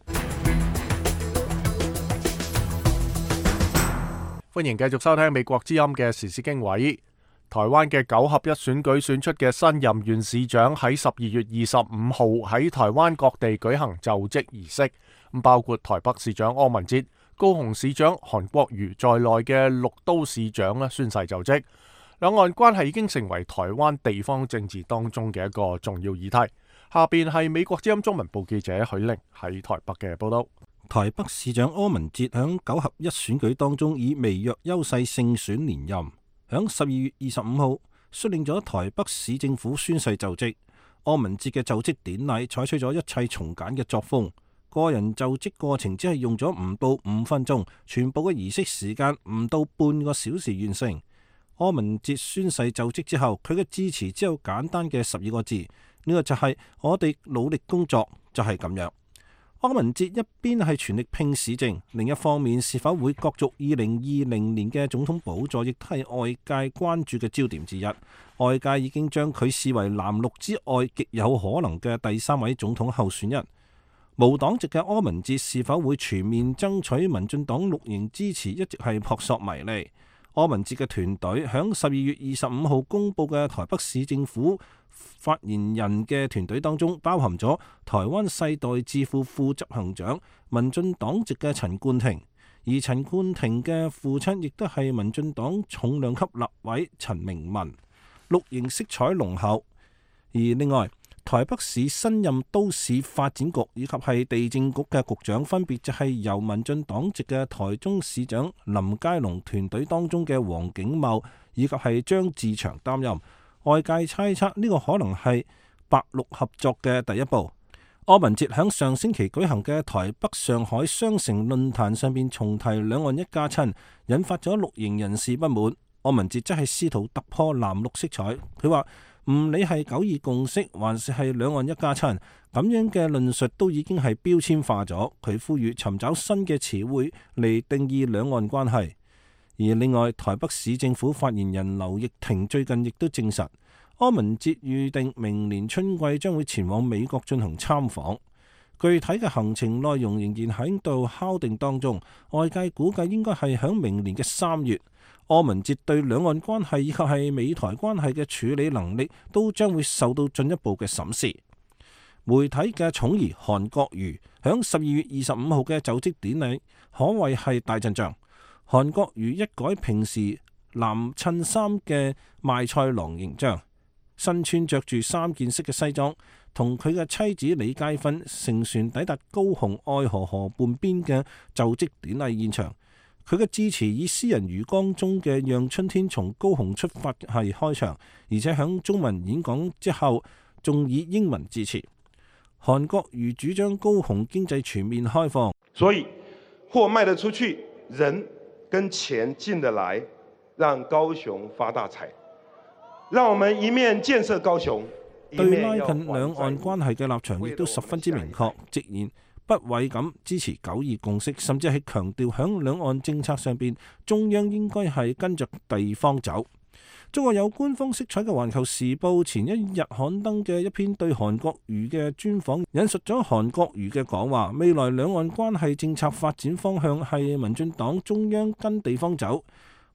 [SPEAKER 1] 歡迎繼續收聽美國之音嘅時事經緯。台灣嘅九合一選舉選出嘅新任縣市長喺十二月二十五號喺台灣各地舉行就職儀式，包括台北市長柯文哲、高雄市長韓國瑜在內嘅六都市長咧宣誓就職。兩岸關係已經成為台灣地方政治當中嘅一個重要議題。下邊係美國之音中文部記者許玲喺台北嘅報道。
[SPEAKER 5] 台北市長柯文哲響九合一選舉當中以微弱優勢勝選連任，響十二月二十五號率領咗台北市政府宣誓就職。柯文哲嘅就職典禮採取咗一切從簡嘅作風，個人就職過程只係用咗唔到五分鐘，全部嘅儀式時間唔到半個小時完成。柯文哲宣誓就職之後，佢嘅致辭只有簡單嘅十二個字，呢、這個就係我哋努力工作，就係、是、咁樣。柯文哲一邊係全力拼市政，另一方面是否會角逐二零二零年嘅總統寶座，亦都係外界關注嘅焦點之一。外界已經將佢視為藍綠之外極有可能嘅第三位總統候選人。無黨籍嘅柯文哲是否會全面爭取民進黨綠營支持，一直係撲朔迷離。柯文哲嘅團隊響十二月二十五號公布嘅台北市政府發言人嘅團隊當中，包含咗台灣世代智庫副執行長民進黨籍嘅陳冠廷，而陳冠廷嘅父親亦都係民進黨重量級立委陳明文，綠營色彩濃厚。而另外，台北市新任都市發展局以及係地政局嘅局長，分別就係由民進黨籍嘅台中市長林佳龍團隊當中嘅黃景茂以及係張志祥擔任。外界猜測呢個可能係白綠合作嘅第一步。柯文哲喺上星期舉行嘅台北上海雙城論壇上邊重提兩岸一家親，引發咗綠營人士不滿。柯文哲則係試圖突破藍綠色彩，佢話唔理係九二共識還是係兩岸一家親，咁樣嘅論述都已經係標籤化咗。佢呼籲尋找新嘅詞彙嚟定義兩岸關係。而另外，台北市政府發言人劉奕霆最近亦都證實，柯文哲預定明年春季將會前往美國進行參訪。具體嘅行程內容仍然喺度敲定當中，外界估計應該係響明年嘅三月。柯文哲對兩岸關係以及係美台關係嘅處理能力都將會受到進一步嘅審視。媒體嘅寵兒韓國瑜響十二月二十五號嘅就職典禮可謂係大陣仗。韓國瑜一改平時藍襯衫嘅賣菜郎形象，身穿着住三件式嘅西裝，同佢嘅妻子李佳芬乘船抵達高雄愛河河畔邊嘅就職典禮現場。佢嘅致辭以詩人余光中嘅《讓春天從高雄出發》係開場，而且響中文演講之後，仲以英文致辭。韓國瑜主張高雄經濟全面開放，
[SPEAKER 15] 所以貨賣得出去，人跟錢進得來，讓高雄發大財。讓我們一面建設高雄，
[SPEAKER 5] 對拉近兩岸關係嘅立場亦都十分之明確，直言不諱咁支持九二共識，甚至係強調響兩岸政策上邊，中央應該係跟着地方走。中國有官方色彩嘅《環球時報》前一日刊登嘅一篇對韓國瑜嘅專訪，引述咗韓國瑜嘅講話，未來兩岸關係政策發展方向係民進黨中央跟地方走。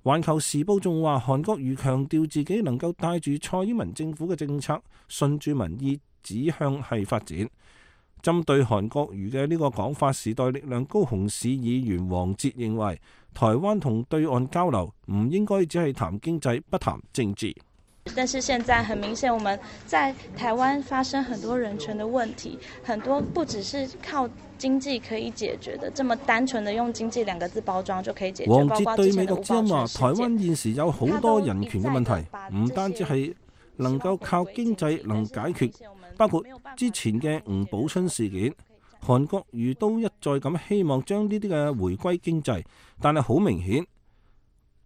[SPEAKER 5] 《環球時報》仲話，韓國瑜強調自己能夠帶住蔡英文政府嘅政策，順住民意指向係發展。針對韓國瑜嘅呢個講法，時代力量高雄市議員黃捷認為，台灣同對岸交流唔應該只係談經濟，不談政治。
[SPEAKER 16] 但是現在很明顯，我們在台灣發生很多人權的問題，很多不只是靠經濟可以解決的，這麼單純的用經濟兩個字包裝就可以解決。
[SPEAKER 5] 黃捷對美國之音話，台灣現時有好多人權嘅問題，唔單止係能夠靠經濟能解決，包括之前嘅吳寶春事件，韓國瑜都一再咁希望將呢啲嘅回歸經濟，但係好明顯，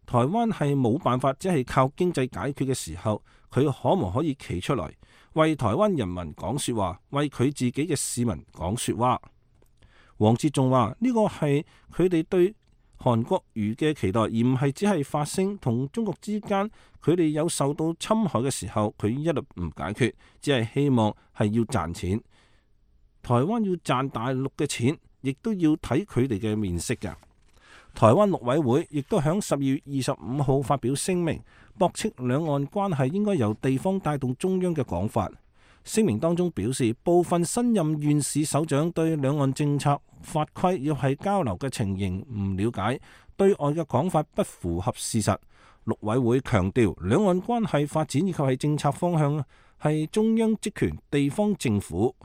[SPEAKER 5] 台灣係冇辦法，只係靠經濟解決嘅時候，佢可唔可以企出來為台灣人民講說話，為佢自己嘅市民講說話？黃捷仲話呢個係佢哋對韓國瑜嘅期待，而唔係只係發聲。同中國之間佢哋有受到侵害嘅時候，佢一律唔解決，只係希望係要賺錢。台灣要賺大陸嘅錢，亦都要睇佢哋嘅面色㗎。台灣陸委會亦都響十二月二十五號發表聲明，駁斥兩岸關係應該由地方帶動中央嘅講法。聲明當中表示，部分新任縣市首長對兩岸政策法規要係交流嘅情形唔了解，對外嘅講法不符合事實。陸委會強調，兩岸關係發展以及係政策方向係中央職權，地方政府。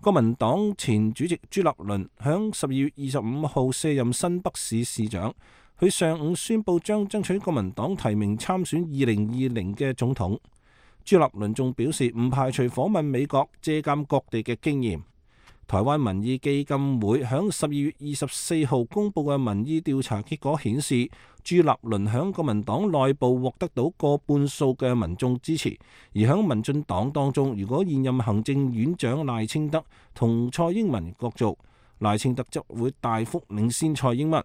[SPEAKER 5] 國民黨前主席朱立倫響十二月二十五號卸任新北市市長，佢上午宣布將爭取國民黨提名參選二零二零嘅總統。朱立倫仲表示唔排除訪問美國，借鑑各地嘅經驗。台灣民意基金會響十二月二十四號公布嘅民意調查結果顯示，朱立倫響國民黨內部獲得到過半數嘅民眾支持，而響民進黨當中，如果現任行政院長賴清德同蔡英文角逐，賴清德則會大幅領先蔡英文。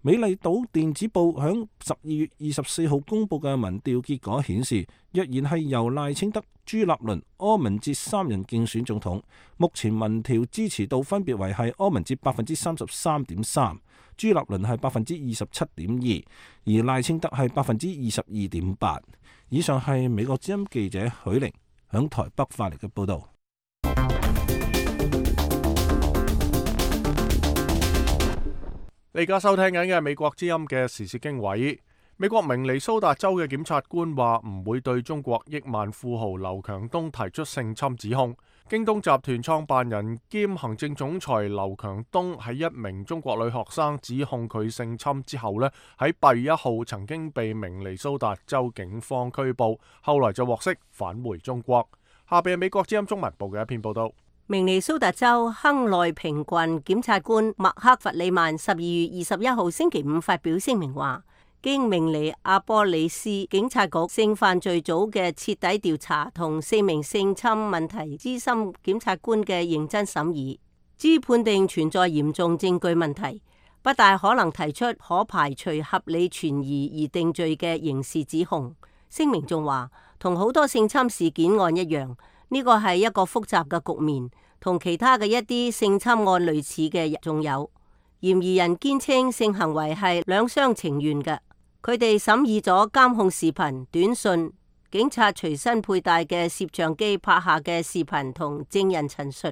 [SPEAKER 5] 美麗島電子報響十二月二十四號公布嘅民調結果顯示，若然係由賴清德、朱立倫、柯文哲三人競選總統，目前民調支持度分別為係柯文哲百分之三十三點三，朱立倫係百分之二十七點二，而賴清德係百分之二十二點八。以上係美國之音記者許玲響台北發嚟嘅報道。
[SPEAKER 1] 你而家收聽緊嘅係美國之音嘅時事經緯。美國明尼蘇達州嘅檢察官話唔會對中國億萬富豪劉強東提出性侵指控。京東集團創辦人兼行政總裁劉強東喺一名中國女學生指控佢性侵之後呢，喺八月一號曾經被明尼蘇達州警方拘捕，後來就獲釋返回中國。下邊係美國之音中文部嘅一篇報道。
[SPEAKER 11] 明尼蘇達州亨內平郡檢察官麥克弗里曼十二月二十一號星期五發表聲明話，經明尼阿波利斯警察局性犯罪組嘅徹底調查同四名性侵問題資深檢察官嘅認真審議，知判定存在嚴重證據問題，不大可能提出可排除合理存疑而定罪嘅刑事指控。聲明仲話，同好多性侵事件案一樣，呢個係一個複雜嘅局面，同其他嘅一啲性侵案類似嘅仲有嫌疑人堅稱性行為係兩廂情願嘅。佢哋審議咗監控視頻、短信、警察隨身佩戴嘅攝像機拍下嘅視頻同證人陳述。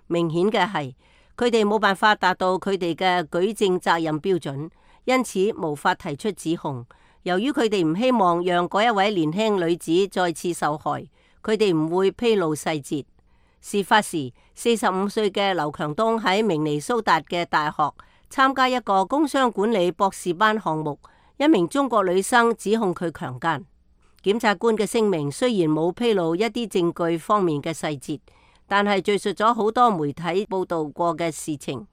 [SPEAKER 11] 明顯嘅係，佢哋冇辦法達到佢哋嘅舉證責任標準，因此無法提出指控。由於佢哋唔希望讓嗰一位年輕女子再次受害，佢哋唔會披露細節。事發時，四十五歲嘅劉強東喺明尼蘇達嘅大學參加一個工商管理博士班項目，一名中國女生指控佢強姦。檢察官嘅聲明雖然冇披露一啲證據方面嘅細節，但係敘述咗好多媒體報道過嘅事情。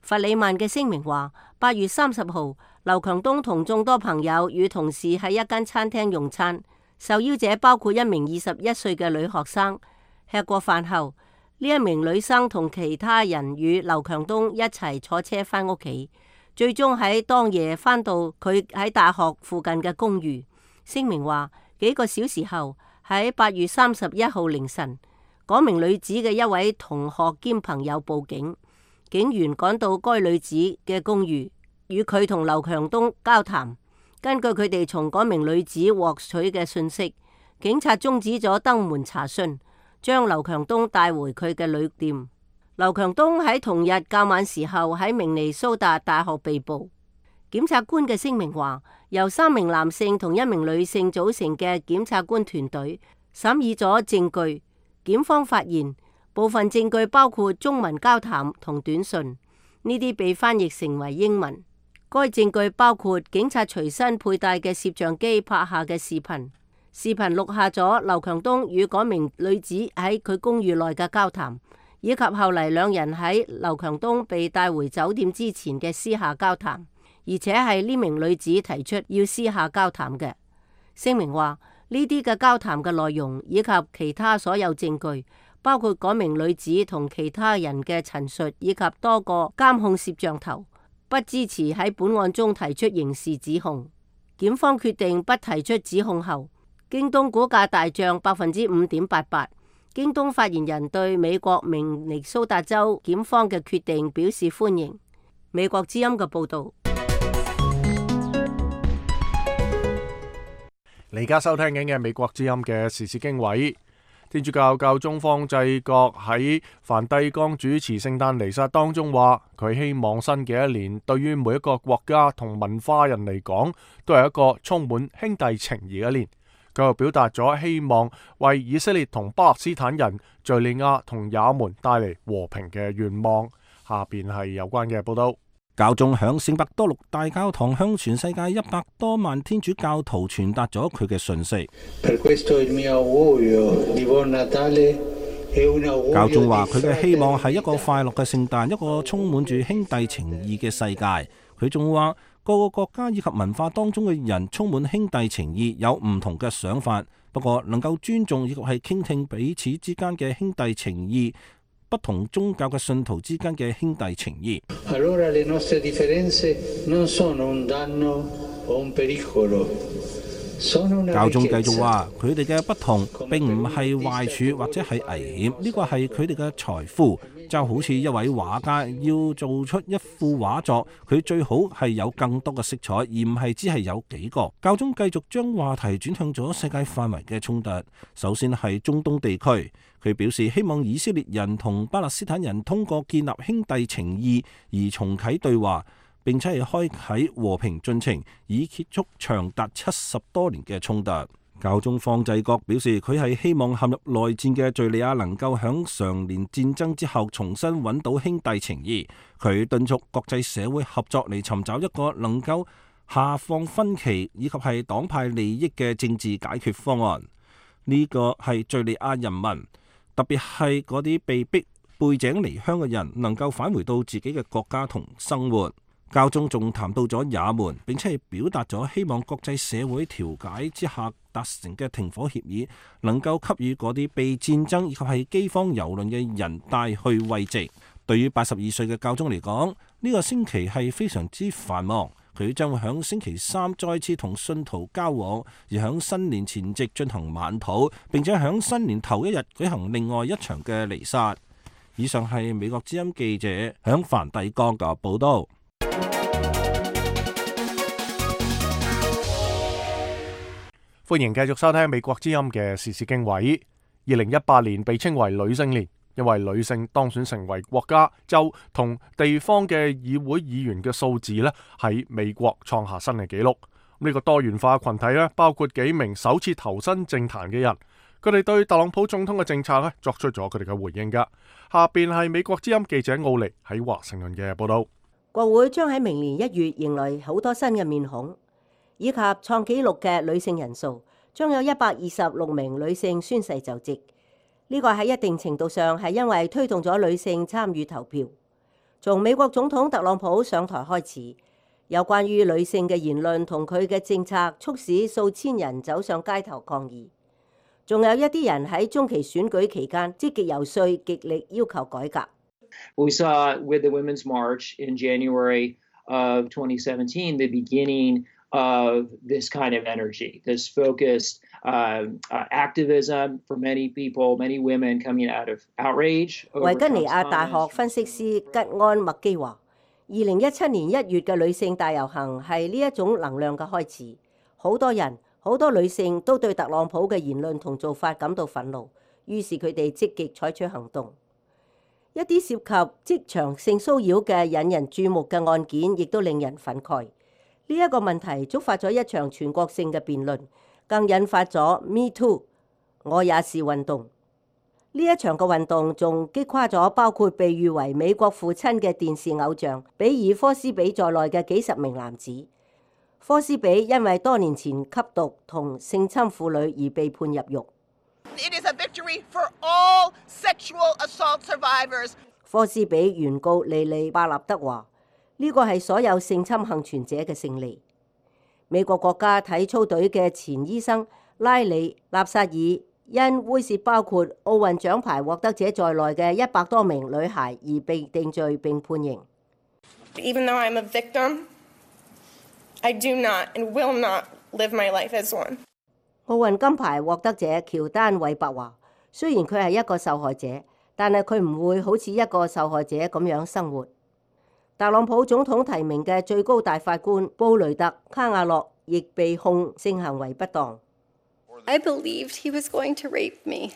[SPEAKER 11] 弗里曼嘅聲明話，八月三十號，劉強東同眾多朋友與同事喺一間餐廳用餐，受邀者包括一名二十一歲嘅女學生。吃過飯後，呢一名女生同其他人與劉強東一齊坐車返屋企，最終喺當夜返到佢喺大學附近嘅公寓。聲明話，幾個小時後，喺八月三十一號凌晨，嗰名女子嘅一位同學兼朋友報警，警員趕到該女子嘅公寓，與佢同劉強東交談。根據佢哋從嗰名女子獲取嘅信息，警察終止咗登門查詢，將劉強東帶回佢嘅旅店。劉強東喺同日較晚時候喺明尼蘇達大學被捕。檢察官嘅聲明話，由三名男性同一名女性組成嘅檢察官團隊審議咗證據。檢方發現部分證據包括中文交談同短信，呢啲被翻譯成為英文。該證據包括警察隨身佩戴嘅攝像機拍下嘅視頻，視頻錄下咗劉強東與嗰名女子喺佢公寓內嘅交談，以及後嚟兩人喺劉強東被帶回酒店之前嘅私下交談，而且係呢名女子提出要私下交談嘅。聲明話，呢啲嘅交談嘅內容以及其他所有證據，包括嗰名女子同其他人嘅陳述，以及多個監控攝像頭，不支持喺本案中提出刑事指控。檢方決定不提出指控後，京東股價大漲百分之五點八八。京東發言人對美國明尼蘇達州檢方嘅決定表示歡迎。美國之音嘅報導。
[SPEAKER 1] 你而家收聽緊嘅美國之音嘅時事經緯，天主教教宗方濟各喺梵蒂岡主持聖誕彌撒當中話，佢希望新嘅一年對於每一個國家同文化人嚟講，都係一個充滿兄弟情誼嘅一年。佢又表達咗希望為以色列同巴勒斯坦人、敘利亞同也門帶嚟和平嘅願望。下邊係有關嘅報道。
[SPEAKER 5] 教宗響聖伯多祿大教堂向全世界一百多萬天主教徒傳達咗佢嘅訊息。教宗話佢嘅希望係一個快樂嘅聖誕，一個充滿住兄弟情誼嘅世界。佢仲話各個國家以及文化當中嘅人充滿兄弟情誼，有唔同嘅想法，不過能夠尊重以及係傾聽彼此之間嘅兄弟情誼，不同宗教嘅信徒之間嘅兄弟情誼。教宗繼續話，佢哋嘅不同並唔係壞處或者係危險，呢個係佢哋嘅財富。就好似一位畫家要做出一幅畫作，佢最好係有更多嘅色彩，而唔係只係有幾個。教宗繼續將話題轉向咗世界範圍嘅衝突，首先係中東地區。佢表示希望以色列人同巴勒斯坦人通過建立兄弟情誼而重啟對話，並且係開啟和平進程，以結束長達七十多年嘅衝突。教宗方濟各表示，佢係希望陷入內戰嘅敘利亞能夠響常年戰爭之後重新揾到兄弟情誼。佢敦促國際社會合作嚟尋找一個能夠下放分歧以及係黨派利益嘅政治解決方案。呢個係敘利亞人民，特別係嗰啲被逼背井離鄉嘅人，能夠返回到自己嘅國家同生活。教宗仲談到咗也門，並且係表達咗希望國際社會調解之下達成嘅停火協議，能夠給予嗰啲被戰爭以及係饑荒蹂躪嘅人帶去慰藉。對於八十二歲嘅教宗嚟講，呢個星期係非常之繁忙，佢將會喺星期三再次同信徒交往，而喺新年前夕進行晚禱，並且喺新年頭一日舉行另外一場嘅彌撒。以上係美國之音記者喺梵蒂岡嘅報道。
[SPEAKER 1] 歡迎繼續收聽美國之音嘅時事經緯。二零一八年被稱為女性年，因為女性當選成為國家、州同地方嘅議會議員嘅數字呢，喺美國創下新嘅紀錄。呢個多元化群體呢，包括幾名首次投身政壇嘅人，佢哋對特朗普總統嘅政策呢作出咗佢哋嘅回應噶。下邊係美國之音記者奧尼喺華盛頓嘅報道。
[SPEAKER 11] 國會將喺明年一月迎來好多新嘅面孔，以及創紀錄嘅女性人數，將有一百二十六名女性宣誓就職。呢個喺一定程度上係因為推動咗女性參與投票。從美國總統特朗普上台開始，有關於女性嘅言論同佢嘅政策，促使數千人走上街頭抗議。仲有一啲人喺中期選舉期間積極遊說，極力要求改革。
[SPEAKER 17] We saw with the Women's March in January of twenty seventeen the beginning of this kind of energy, this focused uh, uh, activism for many people, many women coming out of outrage.
[SPEAKER 11] 維吉尼亞大學分析師吉安麥基話，二零一七年一月嘅女性大遊行係呢一種能量嘅開始。好多人、好多女性都對特朗普嘅言論同做法感到憤怒，於是佢哋積極採取行動。一啲涉及職場性騷擾嘅引人注目嘅案件，亦都令人憤慨。呢一個問題觸發咗一場全國性嘅辯論，更引發咗 Me Too 我也是運動。呢一場嘅運動仲擊垮咗包括被譽為美國父親嘅電視偶像比爾科斯比在內嘅幾十名男子。科斯比因為多年前吸毒同性侵婦女而被判入獄。
[SPEAKER 18] It is a victory for all sexual assault survivors.
[SPEAKER 11] 科斯比原告莉莉巴納德話：呢個係所有性侵幸存者嘅勝利。美國國家體操隊嘅前醫生拉里納薩爾因猥褻包括奧運獎牌獲得者在內嘅一百多名女孩而被定罪並判刑。
[SPEAKER 19] Even though I'm a victim, I do not and will not live my life as one.
[SPEAKER 11] 奧運金牌獲得者喬丹韋伯話：雖然佢係一個受害者，但係佢唔會好似一個受害者咁樣生活。特朗普總統提名嘅最高大法官布雷特卡瓦諾亦被控性行為不當。
[SPEAKER 20] I believed he was going to rape me.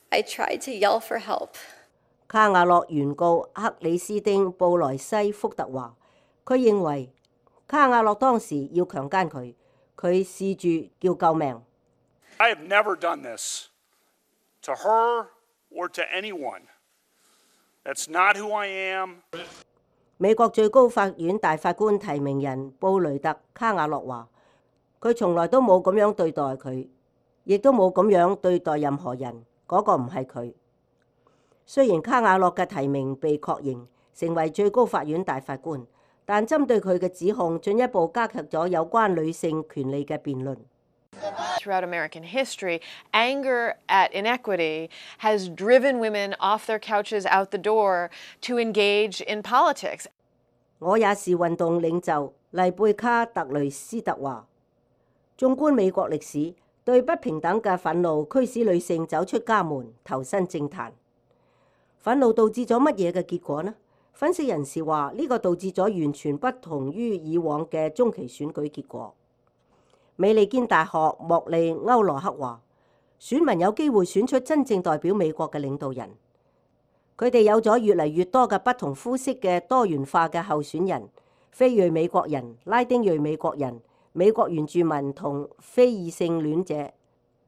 [SPEAKER 20] I tried to yell for help.
[SPEAKER 11] 卡瓦諾原告克里斯丁布萊西福特話：佢認為卡瓦諾當時要強姦佢。佢試住叫救命。
[SPEAKER 21] I have never done this to her or to anyone. That's not who I am.
[SPEAKER 11] 美國最高法院大法官提名人布雷特卡瓦諾話：佢從來都冇咁樣對待佢，亦都冇咁樣對待任何人。嗰個唔係佢。雖然卡瓦諾嘅提名被確認成為最高法院大法官，但針對佢嘅指控，進一步加劇咗有關女性權利嘅辯論。
[SPEAKER 22] Throughout American history, anger at inequity has driven women off their couches out the door to engage in politics.
[SPEAKER 11] 我也是運動領袖麗貝卡特雷斯特話：縱觀美國歷史，對不平等嘅憤怒驅使女性走出家門，投身政壇。憤怒導致咗乜嘢嘅結果呢？分析人士話：呢個導致咗完全不同於以往嘅中期選舉結果。美利堅大學莫利歐羅克話：選民有機會選出真正代表美國嘅領導人。佢哋有咗越嚟越多嘅不同膚色嘅多元化嘅候選人，非裔美國人、拉丁裔美國人、美國原住民同非異性戀者。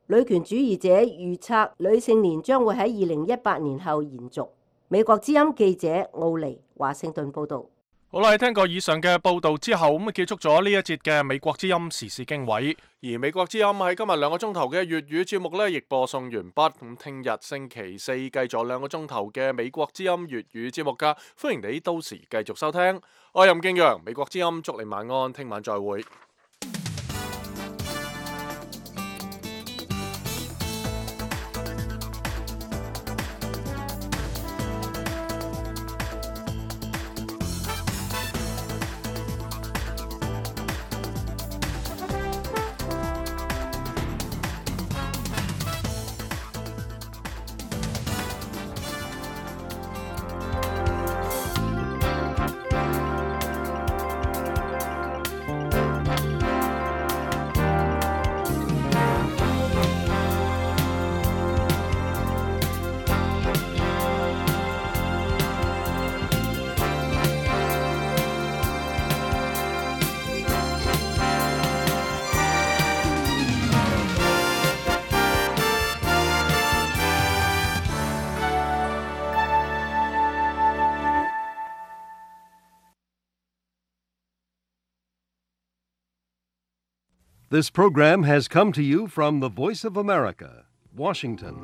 [SPEAKER 11] 女權主義者預測女性年將會喺二零一八年後延續。美國之音記者奧尼華盛頓報道。
[SPEAKER 1] 好啦，聽過以上嘅報道之後，咁啊結束咗呢一節嘅美國之音時事經緯。而美國之音喺今日兩個鐘頭嘅粵語節目呢，亦播送完畢。咁聽日星期四繼續兩個鐘頭嘅美國之音粵語節目噶，歡迎你到時繼續收聽。我係任敬陽，美國之音祝你晚安，聽晚再會。
[SPEAKER 23] This program has come to you from the Voice of America, Washington.